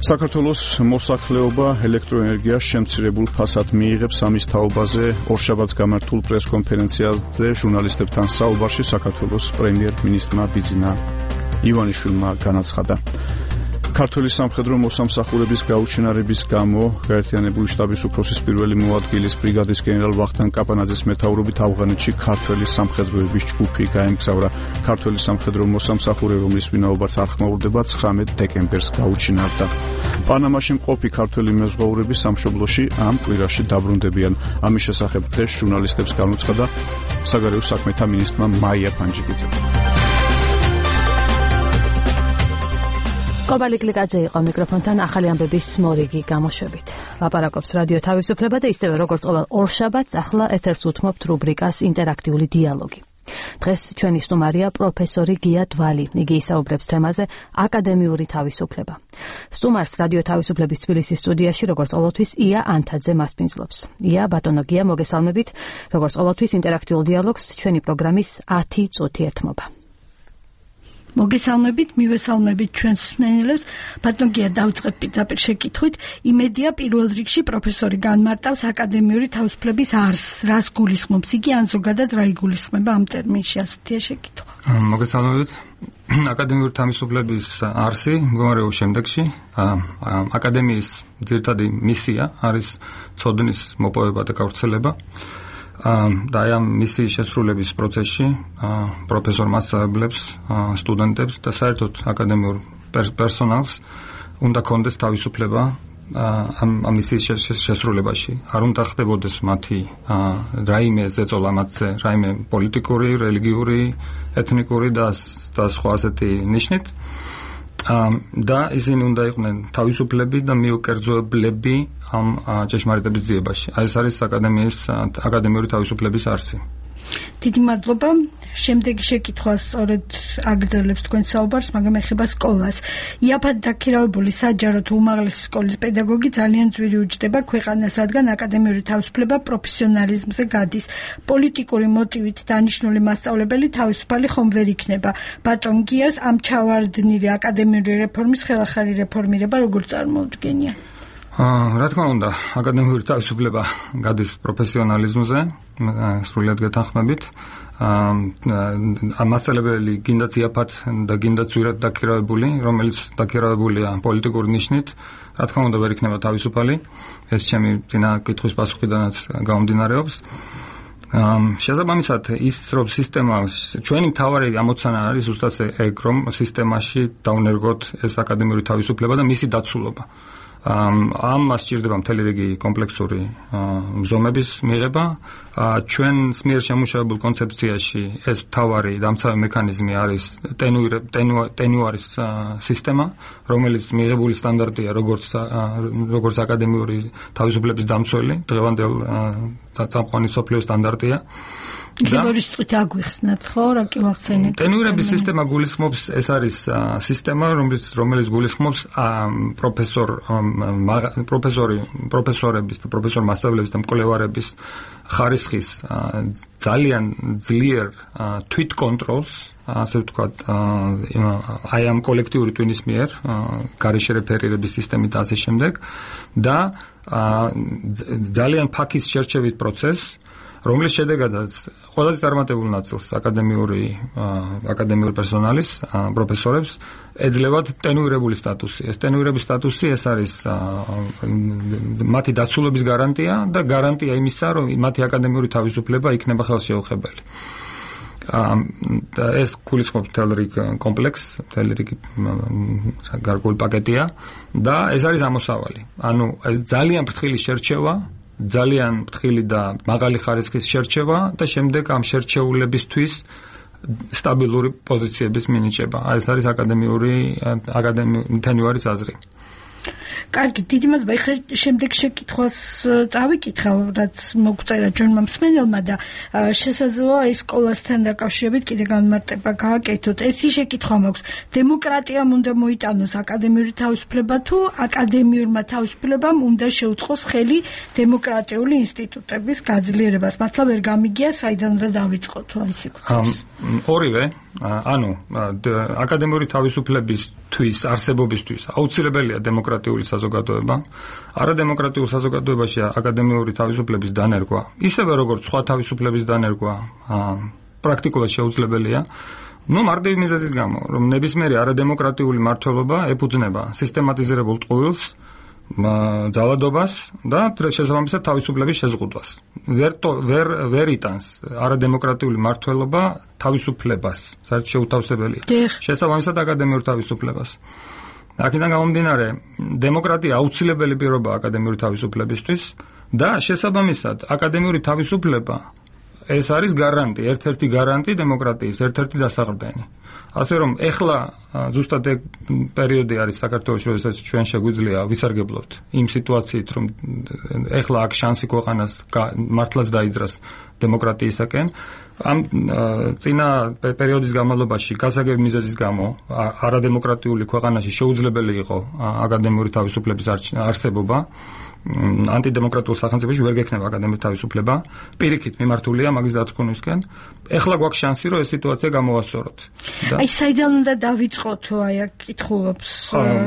საქართველოს მოსახლეობა ელექტროენერგიას შემცირებულ ფასად მიიღებს. ამის თაობაზე ორშაბათს გამართულ პრესკონფერენციაზე ჟურნალისტებთან საუბარში საქართველოს პრემიერ-მინისტრმა ბიძინა ივანიშვილმა განაცხადა. ქართული სამხედრო მოსამსახურების გაუჩინარების გამო გაერთიანებული შტაბის უფროსის პირველი მოადგილის ბრიგადის გენერალ ვახტანგ კაპანაძის მეთაურობით ავღანეთში ქართველი სამხედროების ჯგუფი გაემგზავრა. ქართველი სამხედრო მოსამსახურე, რომლის ვინაობაც არ ხმაურდება, 19 დეკემბერს გაუჩინარდა. პანამაში მყოფი ქართველი მეზღვაურები სამშობლოში ამ კვირაში დაბრუნდებიან. ამის შესახებ დღეს ჟურნალისტებს განუცხადა საგარეო საქმეთა მინისტრმა მაია ფანჯიკიძე. კობალი გლიკაძე იყო მიკროფონთან ახალი ამბების მორიგი გამოშვებით. ლაპარაკობს რადიო თავისუფლება და ისევე როგორც ყოველ ორშაბათს ახლა ეთერს უთმობთ რუბრიკას ინტერაქტიული დიალოგი. დღეს ჩვენი სტუმარია პროფესორი გია დვალი. იგი ისაუბრებს თემაზე აკადემიური თავისუფლება. სტუმარს რადიო თავისუფლების თბილისის სტუდიაში როგორც ყოველთვის ია ანთაძე მასპინძლობს. ია, ბატონო გია, მოგესალმებით. როგორც ყოველთვის ინტერაქტიულ დიალოგს ჩვენი პროგრამის 10 წუთი ეთმობა. მოგესალმებით, მივესალმებით ჩვენს მსმენელებს. ბატონ გია, დავიწყებ პირდაპირ შეკითხვით. იმედია პირველ რიგში პროფესორი განმარტავს აკადემიური თავისუფლების არსს, რას გულისხმობს იგი, ან ზოგადად რა იგულისხმება ამ ტერმინში, ასეთია შეკითხვა. მოგესალმებით. აკადემიური თავისუფლების არსი მდგომარეობს შემდეგში. აკადემიის ძირითადი მისია არის ცოდნის მოპოვება და გავრცელება. და ამ მისიის შესრულების პროცესში პროფესორმა ასწავლებს სტუდენტებს და საერთოდ აკადემიურ პერსონალს უნდა კონდეს თავისუფლება ამ მისიის შესრულებაში. არ უნდა ხდებოდეს მათი რაიმე ზეწოლა მათზე, რაიმე პოლიტიკური, რელიგიური, ეთნიკური და სხვა ასეთი ნიშნით. და ისინი უნდა იყვნენ თავისუფლები და მიუკერძოებლები ამ ჭეშმარიტების ძიებაში. ეს არის აკადემიური თავისუფლების არსი. დიდი მადლობა. შემდეგი შეკითხვა სწორედ აგრძელებს თქვენ საუბარს, მაგრამ ეხება სკოლას. იაფად დაქირავებული საჯარო თუ უმაღლესი სკოლის პედაგოგი ძალიან ძვირი უჯდება ქვეყანას, რადგან აკადემიური თავისუფლება პროფესიონალიზმზე გადის. პოლიტიკური მოტივით დანიშნული მასწავლებელი თავისუფალი ხომ ვერ იქნება. ბატონ გიას ამ ჩავარდნილი აკადემიური რეფორმის ხელახალი რეფორმირება როგორ წარმოუდგენია? რა თქმა უნდა, აკადემიური თავისუფლება გადის პროფესიონალიზმზე, სრულიად გეთანხმებით. მასწავლებელი გინდაც იაფად და გინდაც ძვირად დაქირავებული, რომელიც დაქირავებულია პოლიტიკური ნიშნით, რა თქმა უნდა ვერ იქნება თავისუფალი. ეს ჩემი წინა კითხვის პასუხიდანაც გამომდინარეობს. შესაბამისად, ის რომ ჩვენი მთავარი ამოცანა არის ზუსტად ეგ, რომ სისტემაში დაუნერგოთ ეს აკადემიური თავისუფლება და მისი დაცულობა. ამას სჭირდება მთელი რიგი კომპლექსური მზომების მიღება. ჩვენს მიერ შემუშავებულ კონცეფციაში ეს მთავარი დამცავი მექანიზმი არის ტენუარის სისტემა, რომელიც მიღებული სტანდარტია როგორც აკადემიური თავისუფლების დამცველი, დღევანდელ წამყვანი მსოფლიო სტანდარტია. ლიბორისტით აგვიხსნათ, ხო, რა კი ვახსენეთ. ტენურების სისტემა გულისხმობს, ეს არის სისტემა, რომელიც გულისხმობს პროფესორების და პროფესორ მასწავლებლების და მკვლევარების ხარისხის ძალიან ძლიერ თვითკონტროლს, ასე ვთქვათ, აი ამ კოლექტიური ტვინის მიერ, გარეშე რეფერირების სისტემით და ასე შემდეგ და ძალიან ფაქის შერჩევით პროცესს, რომლის შედეგადაც ყველაზე წარმატებულ ნაწილს აკადემიური პერსონალის, პროფესორებს ეძლევათ ტენუირებული სტატუსი. ეს ტენუირების სტატუსი ეს არის მათი დაცულობის გარანტია და გარანტია იმისა, რომ მათი აკადემიური თავისუფლება იქნება ხელშეუხებელი. ეს გულისხმობს მთელ რიგ კომპლექსს, მთელ რიგ გარკვეული პაკეტია და ეს არის ამოსავალი. ანუ ეს ძალიან ფრთხილი შერჩევა, ძალიან ფრთხილი და მაღალი ხარისხის შერჩევა და შემდეგ ამ შერჩეულებისთვის სტაბილური პოზიციების მინიჭება. ეს არის აკადემიური თენუარის აზრი. კარგი, დიდი მადლობა. ეხლა შემდეგ შეკითხვას წავიკითხავ, რაც მოგწერა ჩვენმა მსმენელმა და შესაძლოა ის სკოლასთან დაკავშირებით კიდე განმარტება გააკეთოთ. ერთი შეკითხვა მაქვს. დემოკრატიამ უნდა მოიტანოს აკადემიური თავისუფლება თუ აკადემიურმა თავისუფლებამ უნდა შეუწყოს ხელი დემოკრატიული ინსტიტუტების გაძლიერებას? მართლა ვერ გამიგია საიდან უნდა დავიწყოთ ეს იქნება. ორივე, ანუ აკადემიური თავისუფლებისთვის არსებობისთვის აუცილებელია დემოკრატიული საზოგადოება. არადემოკრატიულ საზოგადოებაში აკადემიური თავისუფლების დანერგვა, ისევე როგორც სხვა თავისუფლების დანერგვა, პრაქტიკულად შეუძლებელია. მარტივი მიზეზის გამო, რომ ნებისმიერი არადემოკრატიული მმართველობა ეფუძნება სისტემატიზირებულ ტყუილს, ძალადობას და შესაბამისად თავისუფლების შეზღუდვას. ვერ იტანს არადემოკრატიული მმართველობა თავისუფლებას, საერთოდ შეუთავსებელია. შესაბამისად აკადემიურ თავისუფლებას. აქედან გამომდინარე, დემოკრატია აუცილებელი პირობაა აკადემიური თავისუფლებისთვის და შესაბამისად აკადემიური თავისუფლება ეს არის გარანტი, ერთ-ერთი გარანტი დემოკრატიის, ერთ-ერთი დასაყრდენი. ასე რომ ეხლა ზუსტად ეგ პერიოდი არის საქართველოში, როდესაც ჩვენ შეგვიძლია ვისარგებლოთ იმ სიტუაციით, რომ ეხლა აქ შანსი ქვეყანას მართლაც დაიძრას დემოკრატიისაკენ. ამ წინა პერიოდის განმავლობაში გასაგები მიზეზის გამო არადემოკრატიული ქვეყანაში შეუძლებელი იყო აკადემიური თავისუფლების არსებობა. ანტიდემოკრატიულ სახელმწიფოში ვერ გექნება აკადემიური თავისუფლება. პირიქით მიმართულია მაგის დათქმისკენ. ეხლა გვაქვს შანსი, რომ ეს სიტუაცია გამოვასწოროთ. აი საიდან უნდა დავიწყოთ, აი აქ კითხულობს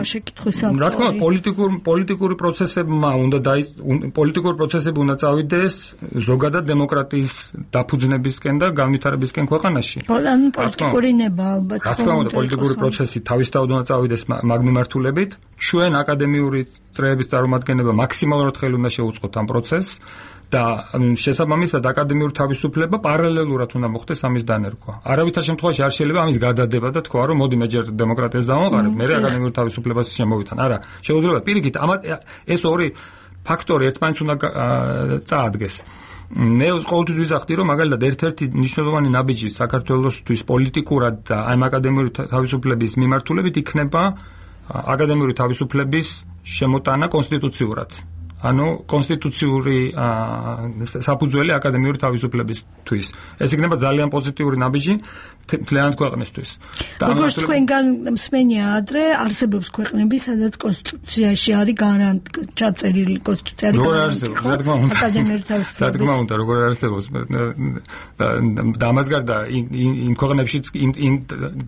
შეკითხვის ავტორი. რა თქმა უნდა, პოლიტიკური პროცესები უნდა წავიდეს ზოგადად დემოკრატიის დაფუძნებისკენ და განვითარებისკენ ქვეყანაში. ანუ პოლიტიკური ნება ალბათ. რა თქმა უნდა, პოლიტიკური პროცესი თავისთავად უნდა წავიდეს მაგ მიმართულებით. ჩვენ აკადემიური წრეების წარმომადგენლობა მაქსიმალურად ხელი უნდა შეუწყოთ ამ პროცესს და შესაბამისად აკადემიური თავისუფლება პარალელურად უნდა მოხდეს ამის დანერგვა. არავითარ შემთხვევაში არ შეიძლება ამის გადადება და თქვა, რომ მოდი მე ჯერ დემოკრატიას დავამყარებ, მე აკადემიური თავისუფლებას შემოვითან. არა, შეუძლია პირიქით, ეს ორი ფაქტორი ერთმანეთს უნდა წაადგეს. მე ყოველთვის ვიზახდი, რომ მაგალითად ერთ-ერთი მნიშვნელოვანი ნაბიჯი საქართველოსთვის პოლიტიკურად და ამ აკადემიური თავისუფლების მიმართულებით იქნება აკადემიური თავისუფლების შემოტანა კონსტიტუციურად. ანუ კონსტიტუციური საფუძველი აკადემიური თავისუფლებისთვის. ეს იქნება ძალიან პოზიტიური ნაბიჯი მთლიანად ქვეყნისთვის. როგორც თქვენგან მსმენია ადრე, არსებობს ქვეყნები, სადაც კონსტიტუციაში არის ჩაწერილი კონსტიტუცია არის აკადემიური თავისუფლების. რა თქმა უნდა, როგორ არსებობს და ამას გარდა იმ ქვეყნებშიც, იმ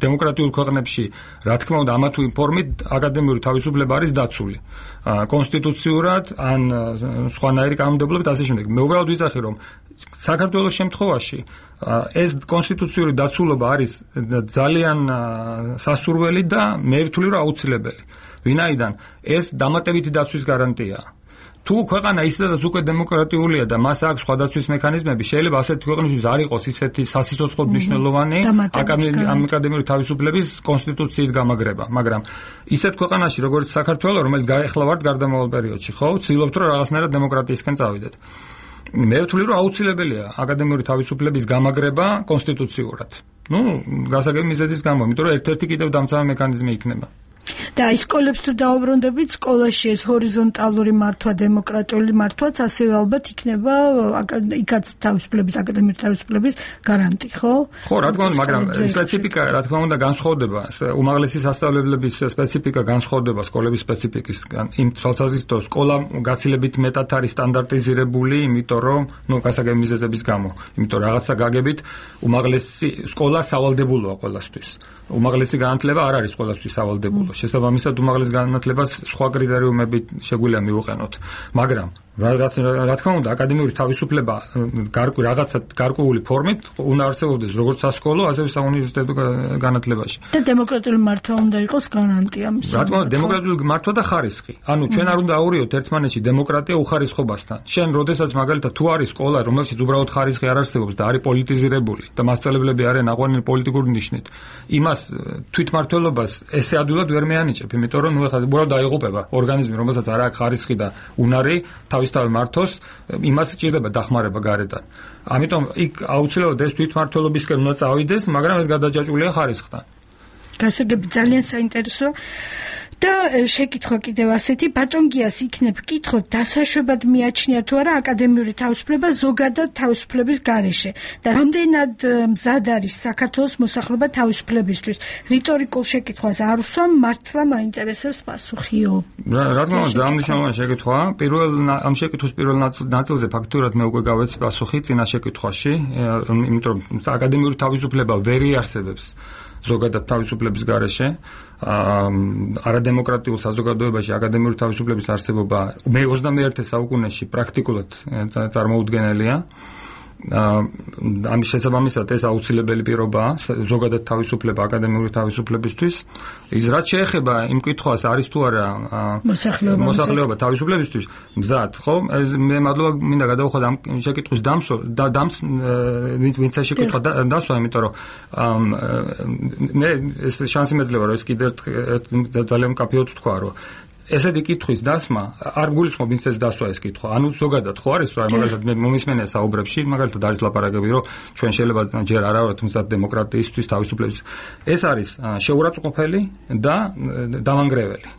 დემოკრატიულ ქვეყნებში, რა თქმა უნდა, ამა თუ იმ ფორმით აკადემიური თავისუფლება არის დაცული. კონსტიტუციურად ან სხვანაირი კანონმდებლობით ასე შემდეგ. მე უბრალოდ ვიძახი, რომ საქართველოს შემთხვევაში ეს კონსტიტუციური დაცულობა არის ძალიან სასურველი და მე ვთვლი, რომ აუცილებელი. ვინაიდან ეს დამატებითი დაცვის გარანტიაა. თუ ქვეყანა ისედაც უკვე დემოკრატიულია და მას აქვს სხვა დაცვის მექანიზმები, შეიძლება ასეთი ქვეყნისთვის არ იყოს ისეთი სასიცოცხლო მნიშვნელოვანი აკადემიური თავისუფლების კონსტიტუციით გამაგრება, მაგრამ ისეთ ქვეყანაში, როგორც საქართველო, რომელიც ეხლა ვართ გარდამავალ პერიოდში, ხო, ვცდილობთ, რომ რაღაცნაირად დემოკრატიისკენ წავიდეთ. მე ვთვლი, რომ აუცილებელია აკადემიური თავისუფლების გამაგრება კონსტიტუციურად. გასაგები მიზეზის გამო, იმიტომ რომ ერთ-ერთი კიდევ დამცავი მექანიზმი იქნება. და ის სკოლებს თუ დაუბრუნდებით, სკოლაში ეს ჰორიზონტალური მართვა, დემოკრატიული მართვაც ასევე ალბათ იქნება იქაც თავისუფლების, აკადემიური თავისუფლების გარანტი, ხო? ხო, რა თქმა უნდა, მაგრამ სპეციფიკა, რა თქმა უნდა, განსხვავდება. უმაღლესი სასწავლებლების სპეციფიკა განსხვავდება სკოლების სპეციფიკისგან. იმ თვალსაზრისით, რომ სკოლა გაცილებით მეტად არის სტანდარტიზირებული, იმიტომ რომ, გასაგები მიზეზების გამო, იმიტომ რაღაცა გაგებით, უმაღლესი სკოლა სავალდებულოა ყველასთვის. უმაღლესი განათლება არ არის ყველასთვის სავალდებულო. შესაბამისად, უმაღლეს განათლებას სხვა კრიტერიუმებით შეგვიძლია მივუყენოთ. მაგრამ რა თქმა უნდა, აკადემიური თავისუფლება რაღაცა გარკვეული ფორმით უნდა არსებობდეს როგორც სასკოლო, ასევე საუნივერსიტეტო განათლებაში. და დემოკრატიული მართვა უნდა იყოს გარანტია მის. რა თქმა უნდა, დემოკრატიული მართვა და ხარისხი. ანუ ჩვენ არ უნდა აურიოთ ერთმანეთში დემოკრატია უხარისხობასთან. შენ როდესაც მაგალითად თუ არის სკოლა, რომელშიც უბრალოდ ხარისხი არ არსებობს და არის პოლიტიზირებული და მასწავლებლები არიან აყვანილი პოლიტიკური ნიშნით, იმას თვითმმართველობას ესე ადვილად ვერ მეანიჭებ, იმიტომ რომ ეხლა უბრალოდ დაიღუპება ორგანიზმი, რომელსაც არ აქვს ხარისხი და უნარი თავისთავად მართოს, იმას სჭირდება დახმარება გარედან. ამიტომ იქ აუცილებლად ეს თვითმმართველობისკენ უნდა წავიდეს, მაგრამ ეს გადაჯაჭვულია ხარისხთან. გასაგები ძალიან საინტერესო და შეკითხვა კიდევ ასეთი, ბატონ გიას იქნებ ვკითხოთ, დასაშვებად მიაჩნია თუ არა აკადემიური თავისუფლება ზოგადად თავისუფლების გარეშე და რამდენად მზად არის საქართველოს მოსახლეობა თავისუფლებისთვის. რიტორიკულ შეკითხვას არ ვსვამ, მართლა მაინტერესებს პასუხიო. რა თქმა უნდა, ძალიან მნიშვნელოვანი შეკითხვაა. ამ შეკითხვის პირველ ნაწილზე ფაქტურად მე უკვე გავეცი პასუხი წინა შეკითხვაში, იმიტომ რომ აკადემიური თავისუფლება ვერ იარსებებს ზოგადად თავისუფლების გარეშე. არადემოკრატიულ საზოგადოებაში აკადემიური თავისუფლების არსებობა მე-21 საუკუნეში პრაქტიკულად წარმოუდგენელია. ამის შესაბამისად ეს აუცილებელი პირობაა ზოგადად თავისუფლება აკადემიური თავისუფლებისთვის. ის რაც შეეხება იმ კითხვას არის თუ არა მოსახლეობა თავისუფლებისთვის მზად, ხო? მე მადლობა მინდა გადავუხოთ ამ შეკითხვის ვინც ეს შეკითხვა დასვა, იმიტომ რომ მე ეს შანსი მეძლევა რომ ეს კიდევ ძალიან მკაფიოდ თქვა, რომ ესეთი კითხვის დასმა არ გულისხმობ ვინც ეს დასვა ეს კითხვა. ანუ ზოგადად ხო არის, რომ მაგალითად მე მომისმენია საუბრებში, მაგალითად არის ლაპარაკები, რომ ჩვენ შეიძლება ჯერ არ ავართ მზად დემოკრატიისთვის, თავისუფლების. ეს არის შეურაცხყოფელი და დამანგრეველი.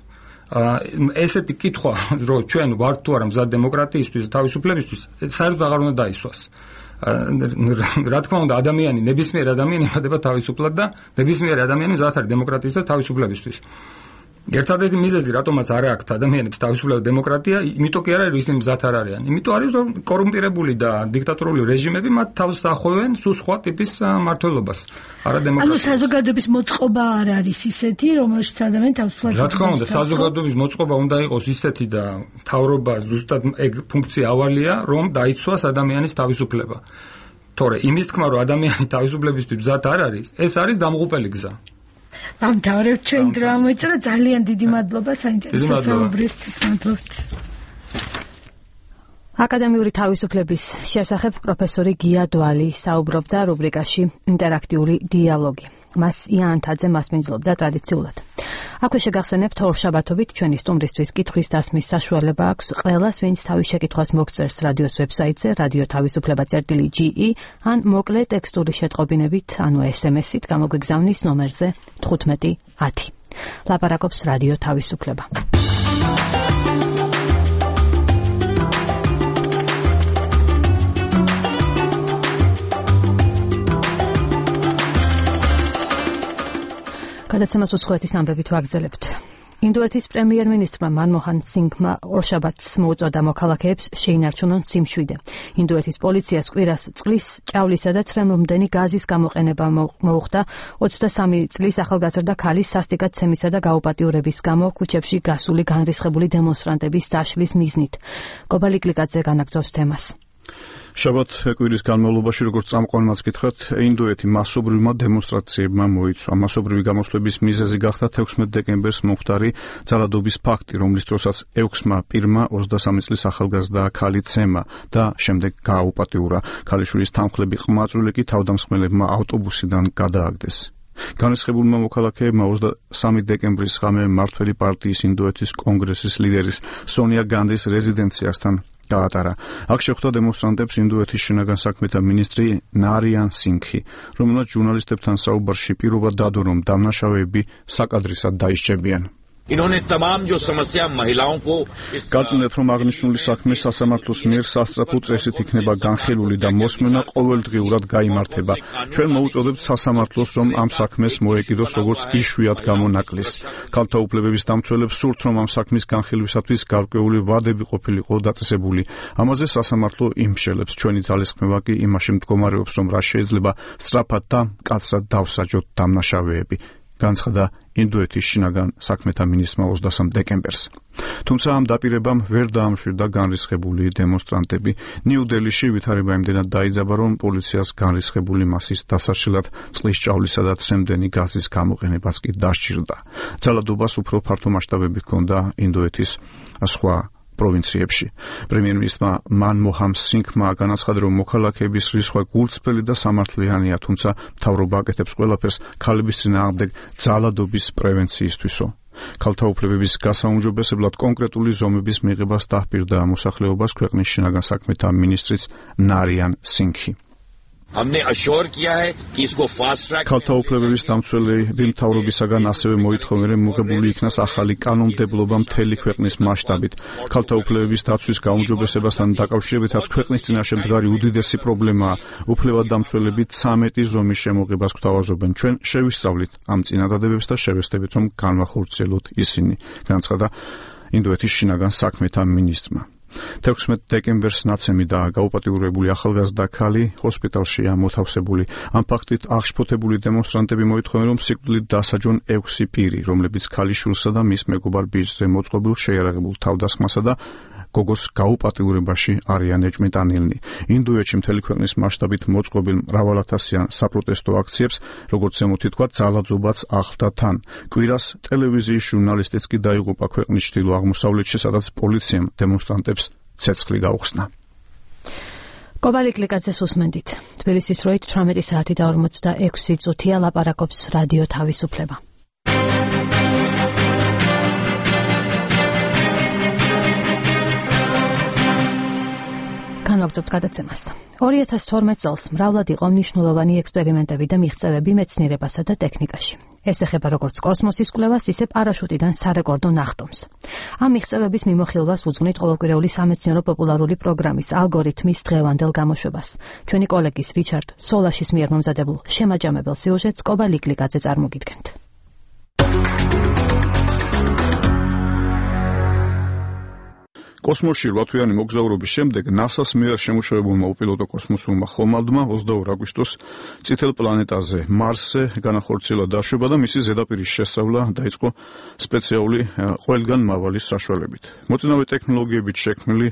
ესეთი კითხვა, რომ ჩვენ ვართ თუ არა მზად დემოკრატიისთვის, თავისუფლებისთვის, საერთოდ აღარ უნდა დაისვას. რა თქმა უნდა, ადამიანი, ნებისმიერი ადამიანი იმართება თავისუფლად და ნებისმიერი ადამიანი მზად არის დემოკრატიის და თავისუფლებისთვის. ერთადერთი მიზეზი, რატომაც არ აქვს ადამიანებს თავისუფლება და დემოკრატია, იმიტომ კი არ არის, რომ ისინი მზად არ არიან. იმიტომ არის, რომ კორუმპირებული და დიქტატორული რეჟიმები მათ თავს ახოვენ სულ სხვა ტიპის მმართველობას. ანუ საზოგადოების მოწყობა არ არის ისეთი, რომელშიც ადამიანი თავისუფლად. რა თქმა უნდა, საზოგადოების მოწყობა უნდა იყოს ისეთი და მთავრობა ზუსტად ეგ ფუნქცია ავალია, რომ დაიცვას ადამიანის თავისუფლება. თორე იმის თქმა, რომ ადამიანი თავისუფლებისთვის მზად არ არის, ეს არის დამღუპელი გზა. ამთავრებ ჩვენ დრო ამოიწურა, ძალიან დიდი მადლობა საინტერესო საუბრისთვის. მადლობთ. აკადემიური თავისუფლების შესახებ პროფესორი გია დვალი საუბრობდა რუბრიკაში ინტერაქტიული დიალოგი. მას იანთაძე მასპინძლობდა ტრადიციულად. აქვე შეგახსენებთ ორშაბათობით ჩვენი სტუმრისთვის კითხვის დასმის საშუალება აქვს ყველას, ვინც თავის შეკითხვას მოგწერს რადიოს ვებსაიტზე radio-tavisupleba.ge ან მოკლე ტექსტური შეტყობინებით, ანუ SMS-ით გამოგვიგზავნის ნომერზე 1510. ლაპარაკობს რადიო თავისუფლება. გადაცემას უცხოეთის ამბებით ვაგრძელებთ. ინდოეთის პრემიერ-მინისტრმა მანმოჰან სინგმა ორშაბათს მოუწოდა მოქალაქეებს შეინარჩუნონ სიმშვიდე. ინდოეთის პოლიციას კვირას წყლის, ჭავლისა და ცხრემლმდენი გაზის გამოყენება მოუხდა 23 წლის ახალგაზრდა ქალის სასტიკად ცემისა და გაუპატიურების გამო ქუჩებში გასული განრისხებული დემონსტრანტების დაშლის მიზნით. კობალი კლიკაძე განაგრძობს თემას. შაბათ კვირის განმავლობაში, როგორც წამყვანმაც გითხრათ, ინდოეთი მასობრივმა დემონსტრაციებმა მოიცვა. მასობრივი გამოსვლების მიზეზი გახდა 16 დეკემბერს მომხდარი ძალადობის ფაქტი, რომლის დროსაც 6-მა პირმა 23 წლის ახალგაზრდა ქალი ცემა და შემდეგ გააუპატიურა. ქალიშვილის თანმხლები ყმაწვილი კი თავდამსხმელებმა ავტობუსიდან გადააგდეს. განრისხებულმა მოქალაქეებმა 23 დეკემბრის ღამე მმართველი პარტიის ინდოეთის კონგრესის ლიდერის სონია განდის რეზიდენციასთან გაატარა. აქ შეხვდა დემონსტრანტებს ინდოეთის შინაგან საქმეთა მინისტრი ნარიან სინგჰი, რომელმაც ჟურნალისტებთან საუბარში პირობა დადო, რომ დამნაშავეები საკადრისად დაისჯებიან. გაწმენდათ, რომ აღნიშნული საქმე სასამართლოს მიერ სასწრაფო წესით იქნება განხილული და მოსმენა ყოველდღიურად გაიმართება. ჩვენ მოუწოდებთ სასამართლოს, რომ ამ საქმეს მოეკიდოს როგორც იშვიათ გამონაკლისს. ქალთა უფლებების დამცველებს სურთ, რომ ამ საქმის განხილვისათვის გარკვეული ვადები ყოფილიყო დაწესებული. ამაზე სასამართლო იმშელებს. ჩვენი ძალისხმევა კი იმაში მდგომარეობს, რომ რა შეიძლება სწრაფად და მკაცრად დავსაჯოთ დამნაშავეები. განცხადა ინდოეთის შინაგან საქმეთა მინისტრმა 23 დეკემბერს. თუმცა ამ დაპირებამ ვერ დაამშვიდა განრისხებული დემონსტრანტები. ნიუ-დელიში ვითარება იმდენად დაიძაბა, რომ პოლიციას განრისხებული მასის დასაშლად წყლის ჭავლისა და ცემდენი გაზის გამოყენებაც კი დასჭირდა. ძალადობას უფრო ფართო მასშტაბები ჰქონდა ინდოეთის სხვა პროვინციებში. პრემიერ-მინისტრმა მანმოჰან სინგჰმა განაცხადა, რომ მოქალაქეების რისხვა გულწრფელი და სამართლიანია, თუმცა მთავრობა აკეთებს ყველაფერს ქალების წინააღმდეგ ძალადობის პრევენციისთვისო. ქალთა უფლებების გასაუმჯობესებლად კონკრეტული ზომების მიღებას დაჰპირდა მოსახლეობას ქვეყნის შინაგან საქმეთა მინისტრიც ნარიან სინგჰი. ქალთა უფლებების დამცველები მთავრობისაგან ასევე მოითხოვენ, რომ მიღებული იქნას ახალი კანონმდებლობა მთელი ქვეყნის მასშტაბით. ქალთა უფლებების დაცვის გაუმჯობესებასთან დაკავშირებითაც ქვეყნის წინაშე მდგარი უდიდესი პრობლემაა. უფლებადამცველები 13 ზომის შემოღებას გვთავაზობენ. ჩვენ შევისწავლით ამ წინადადებებს და შევეცდებით, რომ განვახორციელოთ ისინი, განაცხადა ინდოეთის შინაგან საქმეთა მინისტრმა. 16 დეკემბერს ნაცემი და გაუპატიურებული ახალგაზრდა ქალი ჰოსპიტალშია მოთავსებული. ამ ფაქტით აღშფოთებული დემონსტრანტები მოითხოვენ, რომ სიკვდილით დასაჯონ 6 პირი, რომლებიც ქალიშვილსა და მის მეგობარ ბიჭზე მოწყობილ შეიარაღებულ თავდასხმასა და გოგოს გაუპატიურებაში არიან ეჭვმიტანილნი. ინდოეთში მთელი ქვეყნის მასშტაბით მოწყობილ მრავალათასიან საპროტესტო აქციებს, როგორც ზემოთი თქვა, ძალადობაც ახლდა თან. კვირას ტელევიზიის ჟურნალისტიც კი დაიღუპა ქვეყნის ჩრდილო-აღმოსავლეთში, სადაც პოლიციამ დემონსტრანტებს ცეცხლი გაუხსნა. კობალი კლიკაძეს უსმენდით. თბილისის როით 18 საათი და 46 წუთია ლაპარაკობს რადიო თავისუფლება. განვაგრძობთ გადაცემას. 2012 წელს მრავლად იყო მნიშვნელოვანი ექსპერიმენტები და მიღწევები მეცნიერებასა და ტექნიკაში. ეს ეხება როგორც კოსმოსის კვლევას, ისე პარაშუტიდან სარეკორდო ნახტომს. ამ მიღწევების მიმოხილვას უძღვნით ყოველკვირეული სამეცნიერო პოპულარული პროგრამის ალგორითმის დღევანდელ გამოშვებას. ჩვენი კოლეგის რიჩარდ სოლაშის მიერ მომზადებულ შემაჯამებელ სიუჟეტს კობალი კლიკაძე წარმოგიდგენთ. კოსმოსში 8 თვიანი მოგზაურობის შემდეგ NASA-ს მიერ შემუშავებულმა უპილოტო კოსმოსურმა ხომალდმა 22 აგვისტოს წითელ პლანეტაზე მარსზე განახორციელა დაშვება და მისი ზედაპირის შესწავლა დაიწყო სპეციალური ყველგან მავალი საშუალებით. მოწინავე ტექნოლოგიებით შექმნილი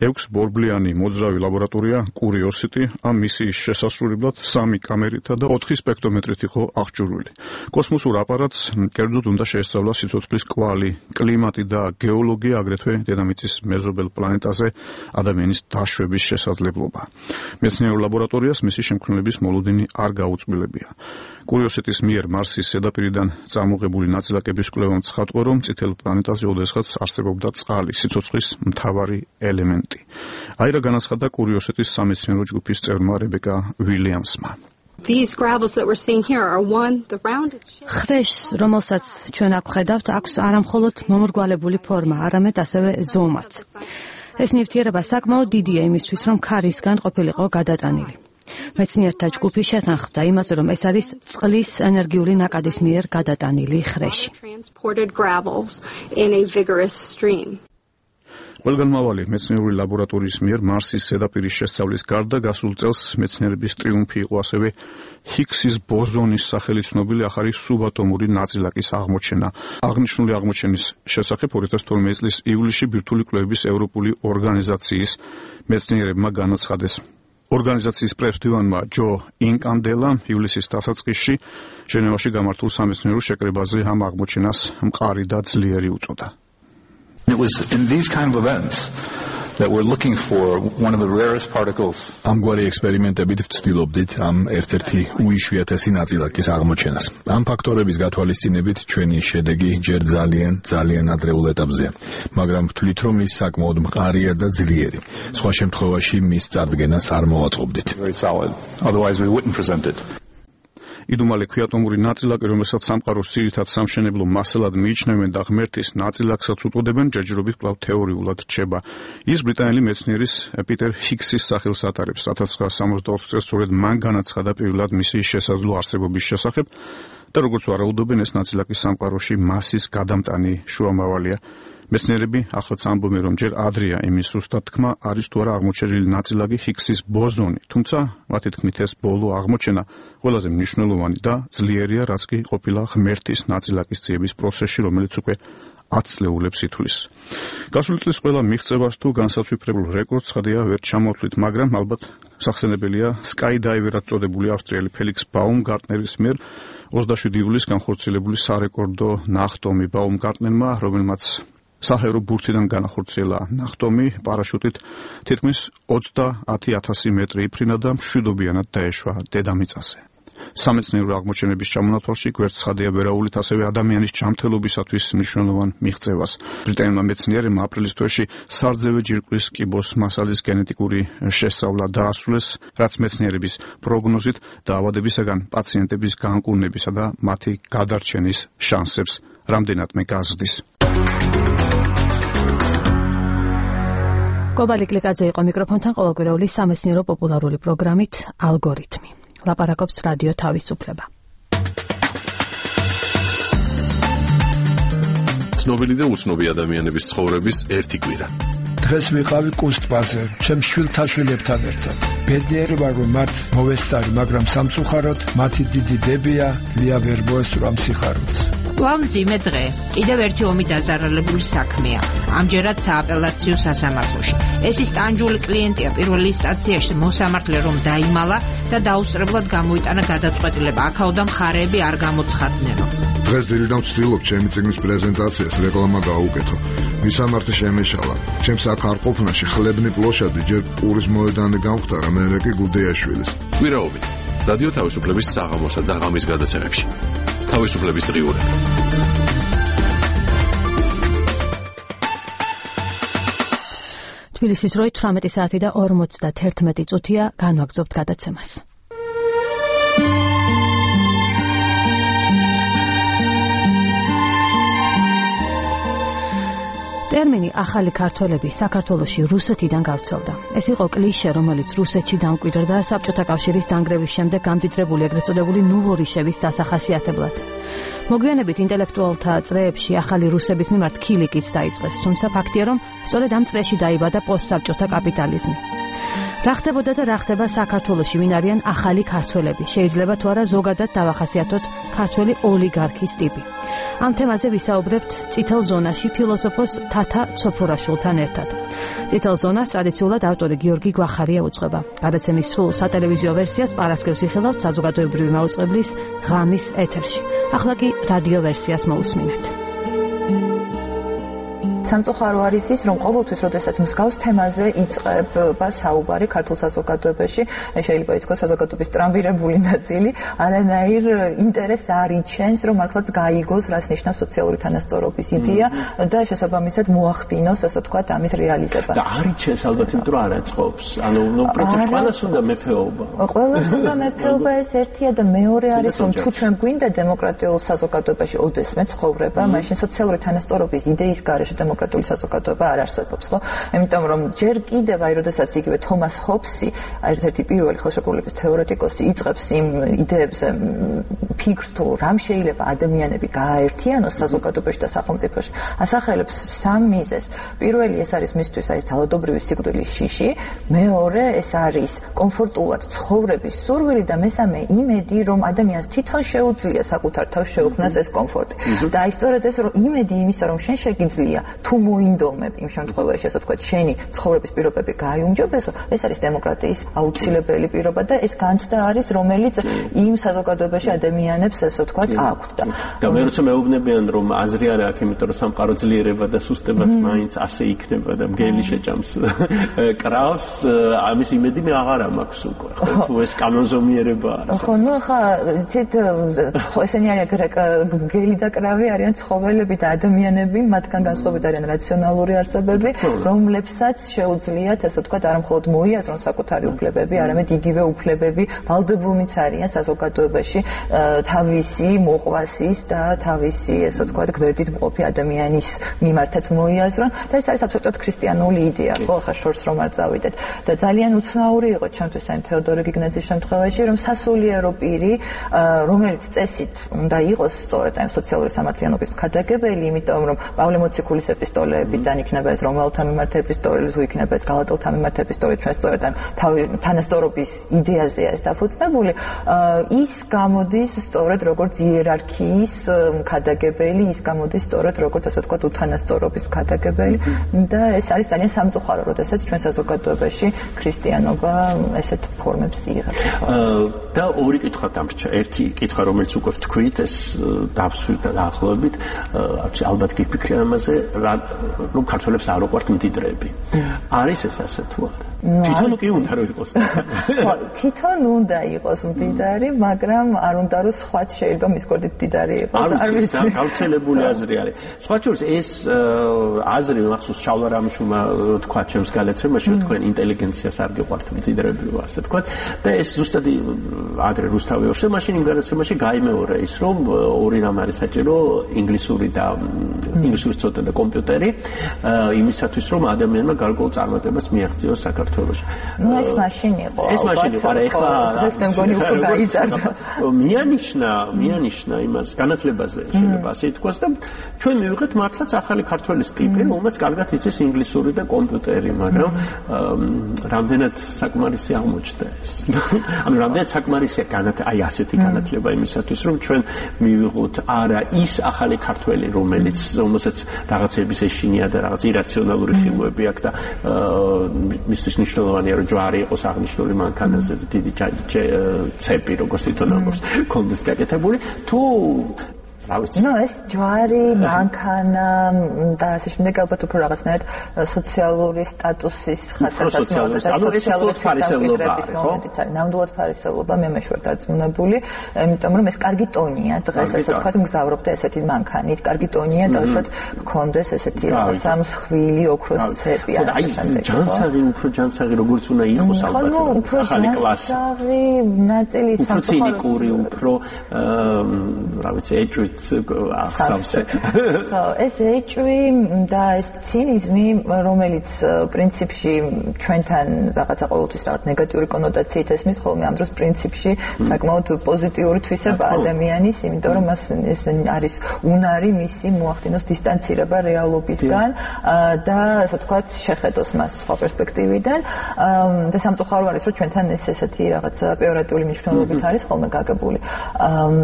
6 ბორბლიანი მოძრავი ლაბორატორია კურიოსიტი ამ მისიის შესასრულებლად 3 კამერითა და 4 სპექტრომეტრით იყო აღჭურვილი. კოსმოსურ აპარატს კერძოდ უნდა შეესწავლა სიცოცხლის კვალი, კლიმატი და გეოლოგია, აგრეთვე დედამიწის მეზობელ პლანეტაზე ადამიანის დაშვების შესაძლებლობა. მეცნიერულ ლაბორატორიას მისი შემქმნელების მოლოდინი არ გაუწყვილებია. კურიოსიტის მიერ მარსის ზედაპირიდან წარმოღებული ნაწილაკების კვლევამ ცხადყო, რომ წითელ პლანეტაზე ოდესღაც არსებობდა წყალი, სიცოცხლის მთავარი ელემენტი. აირა განაცხადა კურიოსიტის სამეცნიერო ჯგუფის წევრმა რებეკა ვილიამსმა. These gravels that we're seeing here are one the rounded ხრეშს, რომელსაც ჩვენ აქ ხედავთ, აქვს არამხოლოდ მომრგვალებული ფორმა, არამედ ასევე ზომაც. ეს ნივთიერება საკმაოდ დიდია იმისთვის, რომ ქარისგან ყოფილიყო გადატანილი. მეცნიერთა ჯგუფი შეთანხმდა იმაზე, რომ ეს არის წყლის ენერგიული ნაკადის მიერ გადატანილი ხრეში. ყველგანმავალი მეცნიერული ლაბორატორიის მიერ მარსის ზედაპირის შესწავლის გარდა გასულ წელს მეცნიერების ტრიუმფი იყო ასევე ჰიგსის ბოზონის სახელით ცნობილი ახალი სუბატომური ნაწილაკის აღმოჩენა. აღნიშნული აღმოჩენის შესახებ 2012 წლის ივლისში ბირთვული კვლევების ევროპული ორგანიზაციის მეცნიერებმა განაცხადეს. ორგანიზაციის პრეზიდენტმა ჯო ინკანდელამ ივლისის დასაწყისში ჟენევაში გამართულ სამეცნიერო შეკრებაზე ამ აღმოჩენას მყარი და ძლიერი უწოდა. It was in these kind of events that we're looking for one of the rarest particles. ამგვარი ექსპერიმენტებით ვცდილობდით ამ ერთ-ერთი უიშვიათესი ნაწილაკის აღმოჩენას. ამ ფაქტორების გათვალისწინებით ჩვენი შედეგი ჯერ ძალიან ადრეულ ეტაპზეა, მაგრამ ვთვლით, რომ ის საკმაოდ მყარია და ძლიერი. სხვა შემთხვევაში მის წარდგენას არ მოვაწყობდით. Very solid. Otherwise we wouldn't present it. იდუმალი ქვიატომური ნაწილაკი, რომელსაც სამყაროს ძირითად სამშენებლო მასალად მიიჩნევენ და ღმერთის ნაწილაკსაც უწოდებენ, ჯერჯერობით კვლავ თეორიულად რჩება. ის ბრიტანელი მეცნიერის პიტერ ჰიგსის სახელს ატარებს. 1964 წელს სწორედ მან განაცხადა პირველად მისი შესაძლო არსებობის შესახებ და როგორც ვარაუდობენ, ეს ნაწილაკი სამყაროში მასის გადამტანი შუამავალია. მეცნიერები ახლაც ამბობენ, რომ ჯერ ადრეა იმის ზუსტად თქმა, არის თუ არა აღმოჩენილი ნაწილაკი ჰიგსის ბოზონი, თუმცა მათი თქმით ეს ბოლო აღმოჩენა ყველაზე მნიშვნელოვანი და ძლიერია, რაც კი ყოფილა ღმერთის ნაწილაკის ძიების პროცესში, რომელიც უკვე 10 წლეულებს ითვლის. გასული წლის ყველა მიღწევას თუ განსაცვიფრებულ რეკორდს ხადია ვერ ჩამოვთვლით, მაგრამ ალბათ სახსენებელია სკაიდაივერად წოდებული ავსტრიელი ფელიქს ბაუმგარტნერის მიერ 27 ივლისს განხორციელებული სარეკორდო ნახტომი ბაუმგარტნერმა, რომელმაც საჰაერო ბურთიდან განახორციელა ნახტომი პარაშუტით თითქმის 30,000 მეტრი იფრინა და მშვიდობიანად დაეშვა დედამიწაზე. სამეცნიერო აღმოჩენების ჩამონათვალში გვერდს ცხადია ვერაულით ასევე ადამიანის ჯანმრთელობისათვის მნიშვნელოვან მიღწევას. ბრიტანელმა მეცნიერებმა აპრილის თვეში სარძევე ჯირკვლის კიბოს მასალის გენეტიკური შესწავლა დაასრულეს, რაც მეცნიერების პროგნოზით დაავადებისაგან პაციენტების განკურნებისა და მათი გადარჩენის შანსებს რამდენადმე გაზრდის. კობალი კლიკაძე იყო მიკროფონთან, ყოველკვირეული სამეცნიერო პოპულარული პროგრამით ალგორითმი. ლაპარაკობს რადიო თავისუფლება. ცნობილი და უცნობი ადამიანების ცხოვრების ერთი კვირა. დღეს ვიყავი კუსტბაზე, ჩემ შვილთაშვილებთან ერთად. ბედნიერი ვარ, რომ მათ მოვესწარი, მაგრამ სამწუხაროდ მათი დიდი დებია ლია ვერ მოესწრა სიხარულს. მძიმე დღე. კიდევ ერთი ომი დაზარალებული საქმეა. ამჯერად სააპელაციო სასამართლოში. ეს ის ტანჯული კლიენტია პირველ ინსტანციაში მოსამართლე რომ დაიმალა და დაუსწრებლად გამოიტანა გადაწყვეტილება. აქაოდან მხარეები არ გამოცხადნენო. დღეს დილიდან ვცდილობ ჩემი წიგნის პრეზენტაციას რეკლამა გაუკეთო. მისამართი შემეშალა. ჩემს აქ არ ყოფნაში ხლებნი პლოშადი ჯერ პურის მოედანი გამختარა, მერე კი გუდეაშვილის. კვირაობით რადიო თავისუფლების საღამოსა და ღამის გადაცემებში. თავისუფლების დღიურები. თბილისის როი 18 საათი და 51 წუთია, განვაგრძობთ გადაცემას. ტერმინი ახალი ქართველები საქართველოში რუსეთიდან გავრცელდა. ეს იყო კლიშე, რომელიც რუსეთში დამკვიდრდა საბჭოთა კავშირის დანგრევის შემდეგ გამდიდრებული ეგრეთ წოდებული ნუვორიშევის დასახასიათებლად. მოგვიანებით ინტელექტუალთა წრეებში ახალი რუსების მიმართ ქილიკიც დაიწყეს, თუმცა ფაქტია, რომ სწორედ ამ წრეში დაიბადა პოსტსაბჭოთა კაპიტალიზმი. რა ხდებოდა და რა ხდება საქართველოში, ვინ არიან ახალი ქართველები? შეიძლება თუ არა ზოგადად დავახასიათოთ ქართველი ოლიგარქის ტიპი. ამ თემაზე ვისაუბრებთ წითელ ზონაში ფილოსოფოს თათა ცოფურაშვილთან ერთად. წითელ ზონას ტრადიციულად ავტორი გიორგი გვახარია უძღვება. გადაცემის სრულ სატელევიზიო ვერსიას პარასკევს იხილავთ საზოგადოებრივი მაუწყებლის ღამის ეთერში. ახლა კი რადიო ვერსიას მოусმინეთ. სამწუხარო არის ის, რომ ყოველთვის, როდესაც მსგავს თემაზე იწყება საუბარი ქართულ საზოგადოებაში, შეიძლება ითქვას საზოგადოების ტრამვირებული ნაწილი, არანაირ ინტერესს არ იჩენს, რომ მართლაც გაიგოს, რას ნიშნავს სოციალური თანასწორობის იდეა და შესაბამისად მოახდინოს, ასე ვთქვათ, ამის რეალიზება. და არ იჩენს ალბათ, იმიტომ რომ არ აწყობს. ანუ პრინციპში ყველას უნდა მეფეობა. ყველას უნდა მეფეობა, ეს ერთია და მეორე არის, რომ თუ ჩვენ გვინდა დემოკრატიულ საზოგადოებაში ოდესმე ცხოვრება, მაშინ სოციალური თანასწორობის იდეის გარეშე დემოკრატიული საზოგადოება არ არსებობს, ხო? იმიტომ რომ ჯერ კიდევ აი როდესაც იგივე თომას ჰობსი, ერთ-ერთი პირველი ხელშეკრულების თეორეტიკოსი იწყებს იმ იდეებზე ფიქრს, თუ რამ შეიძლება ადამიანები გააერთიანოს საზოგადოებაში და სახელმწიფოში, ასახელებს სამ მიზეზს. პირველი ეს არის მისთვის აი ძალადობრივი სიკვდილის შიში, მეორე ეს არის კომფორტულად ცხოვრების სურვილი და მესამე იმედი, რომ ადამიანს თვითონ შეუძლია საკუთარ თავს შეუქმნას ეს კომფორტი. და აი სწორედ ეს რომ იმედი იმისა, რომ შენ შეგიძლია თუ მოინდომებ იმ შემთხვევაში, ასე ვთქვათ, შენი ცხოვრების პირობები გაიუმჯობესო, ეს არის დემოკრატიის აუცილებელი პირობა და ეს განცდა არის, რომელიც იმ საზოგადოებაში ადამიანებს, ასე ვთქვათ, აქვთ და მე როცა მეუბნებიან, რომ აზრი არ აქვს, იმიტომ რომ სამყარო ძლიერება და სუსტებად მაინც ასე იქნება და მგელი შეჭამს კრავს, ამის იმედი მე აღარ მაქვს უკვე, ხო, თუ ეს კანონზომიერება არის. ხო, ნუ ხა თით ესენი არიან მგელი და კრავი არიან ცხოველები და ადამიანები, მათგან განსხვავებით არიან რაციონალური არსებები, რომლებსაც შეუძლიათ, ასე ვთქვათ, არა მხოლოდ მოიაზრონ საკუთარი უფლებები, არამედ იგივე უფლებები ვალდებულნიც არიან საზოგადოებაში თავისი მოყვასის და თავისი, ასე ვთქვათ, გვერდით მყოფი ადამიანის მიმართაც მოიაზრონ და ეს არის აბსოლუტურად ქრისტიანული იდეა, ხო, ხა შორს რომ არ წავიდეთ და ძალიან უცნაური იყო ჩვენთვის აი თეოდორე გიგნაძის შემთხვევაში, რომ სასულიერო პირი, რომელიც წესით უნდა იყოს სწორედ აი სოციალური სამართლიანობის მქადაგებელი, იმიტომ რომ პავლე მოციქულის ეპისტოლეებიდან იქნება ეს რომელთა მიმართ ეპისტოლე, თუ იქნება ეს გალატელთა მიმართ ეპისტოლე, ჩვენ სწორედ აი თანასწორობის იდეაზეა ეს დაფუძნებული, ის გამოდის სწორედ როგორც იერარქიის მქადაგებელი, ის გამოდის სწორედ როგორც ასე ვთქვათ უთანასწორობის მქადაგებელი და ეს არის ძალიან სამწუხარო, როდესაც ჩვენ საზოგადოებაში ქრისტიანობა ესეთ ფორმებს იღებს. და ორი კითხვა დამრჩა. ერთი კითხვა, რომელიც უკვე ვთქვით, ეს დავსვით და დაახლოებით, ალბათ გიფიქრე ამაზე, რომ ქართველებს არ უყვართ მდიდრები. არის ეს ასე თუ არა? თვითონ კი უნდა რომ იყოს. ხო, თვითონ უნდა იყოს მდიდარი, მაგრამ არ უნდა რომ სხვაც შეიძლება მის გვერდით მდიდარი იყოს. არ ვიცი, გავრცელებული აზრი არის. სხვა შორის ეს აზრი მახსოვს შავლა რამიშვილმა თქვა ჩემს გალაცემაში, რომ თქვენ ინტელიგენციას არ გიყვართ მდიდრები, ასე თქვა და ეს ზუსტად ადრე რუსთავი ორშე მაშინ იმ გალაცემაში გაიმეორა ის, რომ ორი რამ არის საჭირო, ინგლისური ინგლისურის ცოდნა და კომპიუტერი, იმისათვის რომ ადამიანმა გარკვეულ წარმატებას მიაღწიოს საქართველოში. ნუ ეს მაშინ იყო. ეს მაშინ იყო, არა ეხლა დღეს მე მგონი უფრო გაიზარდა. მიანიშნა იმას განათლებაზე შეიძლება ასე ითქვას და ჩვენ მივიღეთ მართლაც ახალი ქართველის ტიპი, რომელმაც კარგად იცის ინგლისური და კომპიუტერი, მაგრამ რამდენად საკმარისი აღმოჩნდა ეს. ანუ რამდენად საკმარისია აი ასეთი განათლება იმისათვის, რომ ჩვენ მივიღოთ არა ის ახალი ქართველი, რომელსაც რაღაცების ეშინია და რაღაც ირაციონალური ხილვები აქვს და მისთვის მნიშვნელოვანია, რომ ჯვარი იყოს აღნიშნული მანქანაზე და დიდი ცეპი, როგორც თვითონ ამბობს, კონდეს გაკეთებული, თუ ნუ ეს ჯვარი, მანქანა და ასე შემდეგ ალბათ უფრო რაღაცნაირად სოციალური სტატუსის ხასიათის სოციალური ფარისევლობის მომენტიც არის. ნამდვილად ფარისევლობა მე მეშვარ დარწმუნებული, იმიტომ რომ ეს კარგი ტონია დღეს, ასე ვთქვათ, მგზავრობ და ესეთი მანქანით, კარგი ტონია დავუშვათ გქონდეს ესეთი რაღაცა მსხვილი ოქროს ცეპი ან ასე შემდეგ. ჯანსაღი, უფრო ჯანსაღი როგორც უნდა იყოს ალბათ. ახალი კლასი. ჯანსაღი ნაწილი უფრო ცინიკური, უფრო რა ვიცი, ეჭვით ახსავსე. ხო, ეს ეჭვი და ეს ცინიზმი, რომელიც პრინციპში ჩვენთან რაღაცა ყოველთვის რაღაც ნეგატიური კონოტაციით ესმის, ხოლმე ამ დროს პრინციპში საკმაოდ პოზიტიური თვისება ადამიანის, იმიტომ რომ მას ეს არის უნარი მისი მოახდინოს დისტანცირება რეალობისგან და ასე ვთქვათ შეხედოს მას სხვა პერსპექტივიდან და სამწუხარო არის, რომ ჩვენთან ეს ესეთი რაღაცა პეორატიული მნიშვნელობით არის ხოლმე გაგებული.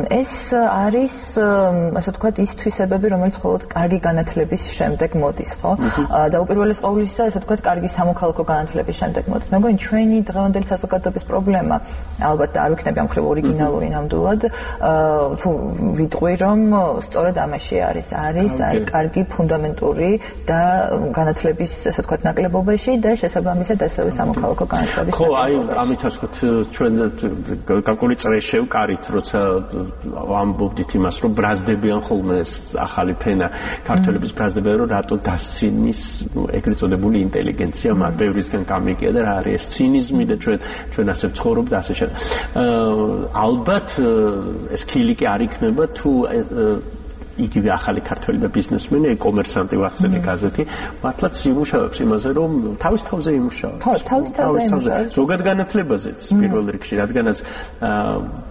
ეს არის ასე ვთქვათ ის თვისებები, რომელიც მხოლოდ კარგი განათლების შემდეგ მოდის, ხო? და უპირველეს ყოვლისა, ასე ვთქვათ, კარგი სამოქალაქო განათლების შემდეგ მოდის. მე მგონი ჩვენი დღევანდელი საზოგადოების პრობლემა, ალბათ არ ვიქნები ამ მხრივ ორიგინალური ნამდვილად, თუ ვიტყვი, რომ სწორედ ამაში არის კარგი ფუნდამენტური და განათლების, ასე ვთქვათ, ნაკლებობაში და შესაბამისად ასევე სამოქალაქო განათლების. ხო, აი, ამით ასე ვთქვათ, ჩვენ გარკვეული წრე შევკარით, როცა ამბობდით იმას, რომ ბრაზდებიან ხოლმე ახალი ფენა ქართველების ბრაზდებიან, რომ რატო დასცინის ეგრეთ წოდებული ინტელიგენცია მათ ბევრისგან გამიგია და რა არის ეს ცინიზმი და ჩვენ ასე ვცხოვრობ და ასე შემდეგ. ალბათ ეს ქილი კი არ იქნება თუ იგივე ახალი ქართველი და ბიზნესმენი, კომერსანტი ვახსენე გაზეთი, მართლაც იმუშავებს იმაზე, რომ თავის თავზე იმუშავებს. ხო, თავის თავზე იმუშავებს. ზოგად განათლებაზეც პირველ რიგში, რადგანაც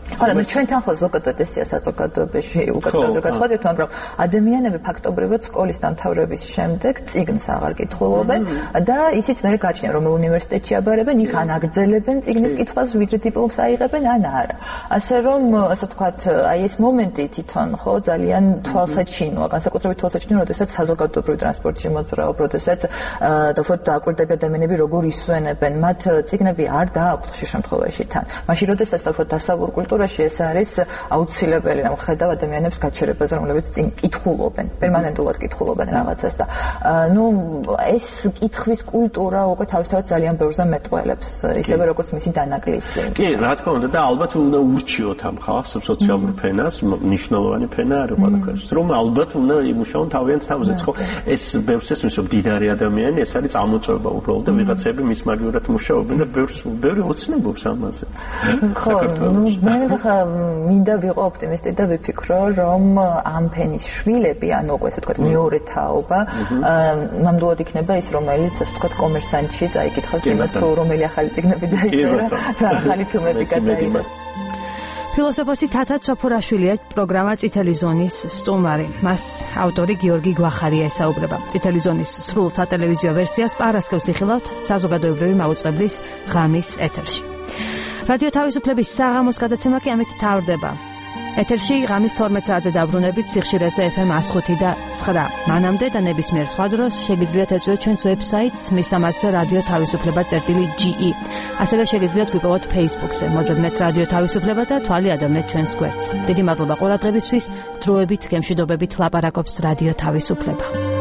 ხო, და ჩვენთან ხო ზოგადად ესეა საზოგადოებაში უკეთესად გაწყვეტით, მაგრამ ადამიანები ფაქტობრივად სკოლის დამთავრების შემდეგ წიგნს აღარ კითხულობენ და ისიც მე გაჩნია, რომ უნივერსიტეტში აბარებენ, იქ ან აგრძელებენ წიგნის კითხვას, ვიდრე დიპლომს აიღებენ, ან არა. ასე რომ, ასე ვთქვათ, აი ეს მომენტი თვითონ ხო ძალიან თვალსაჩინოა, განსაკუთრებით თვალსაჩინოა, როდესაც საზოგადოებრივ ტრანსპორტში მოძრაობ, როდესაც დაუშვათ დააკვირდები ადამიანები როგორ ისვენებენ, მათ წიგნები არ დააქვთ ხშირ შემთხვევაში თან. მაშინ როდესაც დაუშვათ დასავლურ კულტურაში ეს არის აუცილებელი, რომ ხედავ ადამიანებს გაჩერებაზე, რომლებიც წინ კითხულობენ, პერმანენტულად კითხულობენ რაღაცას და ეს კითხვის კულტურა უკვე თავისთავად ძალიან ბევრზე მეტყველებს, ისევე როგორც მისი დანაკლისი. კი, რა თქმა უნდა და ალბათ უნდა ურჩიოთ ამ ხალხს სოციალურ ფენას, მნიშვნელოვანი ფენა არის ყველაფერს. რომ ალბათ უნდა იმუშაონ თავიანთ თავზეც, ხო? ეს ბევრს ესმის, რომ დიდარი ადამიანი, ეს არის წამოწვევა უბრალოდ და ვიღაცები მის მაგივრად მუშაობენ და ბევრი ოცნებობს ამაზეც. ხო, მე ხა მინდა ვიყო ოპტიმისტი და ვიფიქრო, რომ ამ ფენის შვილები, ანუ უკვე ესე ვთქვათ, მეორე თაობა, ნამდვილად იქნება ის, რომელიც ასე ვთქვათ, კომერსანტში წაიკითხავს იმას, თუ რომელი ახალი წიგნები დაიწერა, რა ახალი ფილმები გადაიღო. ფილოსოფოსი თათა ცოფურაშვილია პროგრამა წითელი ზონის სტუმარი. მას ავტორი გიორგი გვახარია ესაუბრება. წითელი ზონის სრულ სატელევიზიო ვერსიას პარასკევს იხილავთ საზოგადოებრივი მაუწყებლის ღამის ეთერში. რადიო თავისუფლების საღამოს გადაცემა კი ამით თავდება. ეთერში ღამის 12 საათზე დაბრუნებით სიხშირეზე FM 105 და 9. მანამდე და ნებისმიერ სხვა დროს შეგიძლიათ ეწვიოთ ჩვენს ვებსაიტს მისამართზე რადიო თავისუფლება.ge. ასევე შეგიძლიათ გვიპოვოთ Facebook-ზე. მოძებნეთ რადიო თავისუფლება და თვალი ადევნეთ ჩვენს გვერდს. დიდი მადლობა ყურადღებისთვის. დროებით გემშვიდობებით ლაპარაკობს რადიო თავისუფლება.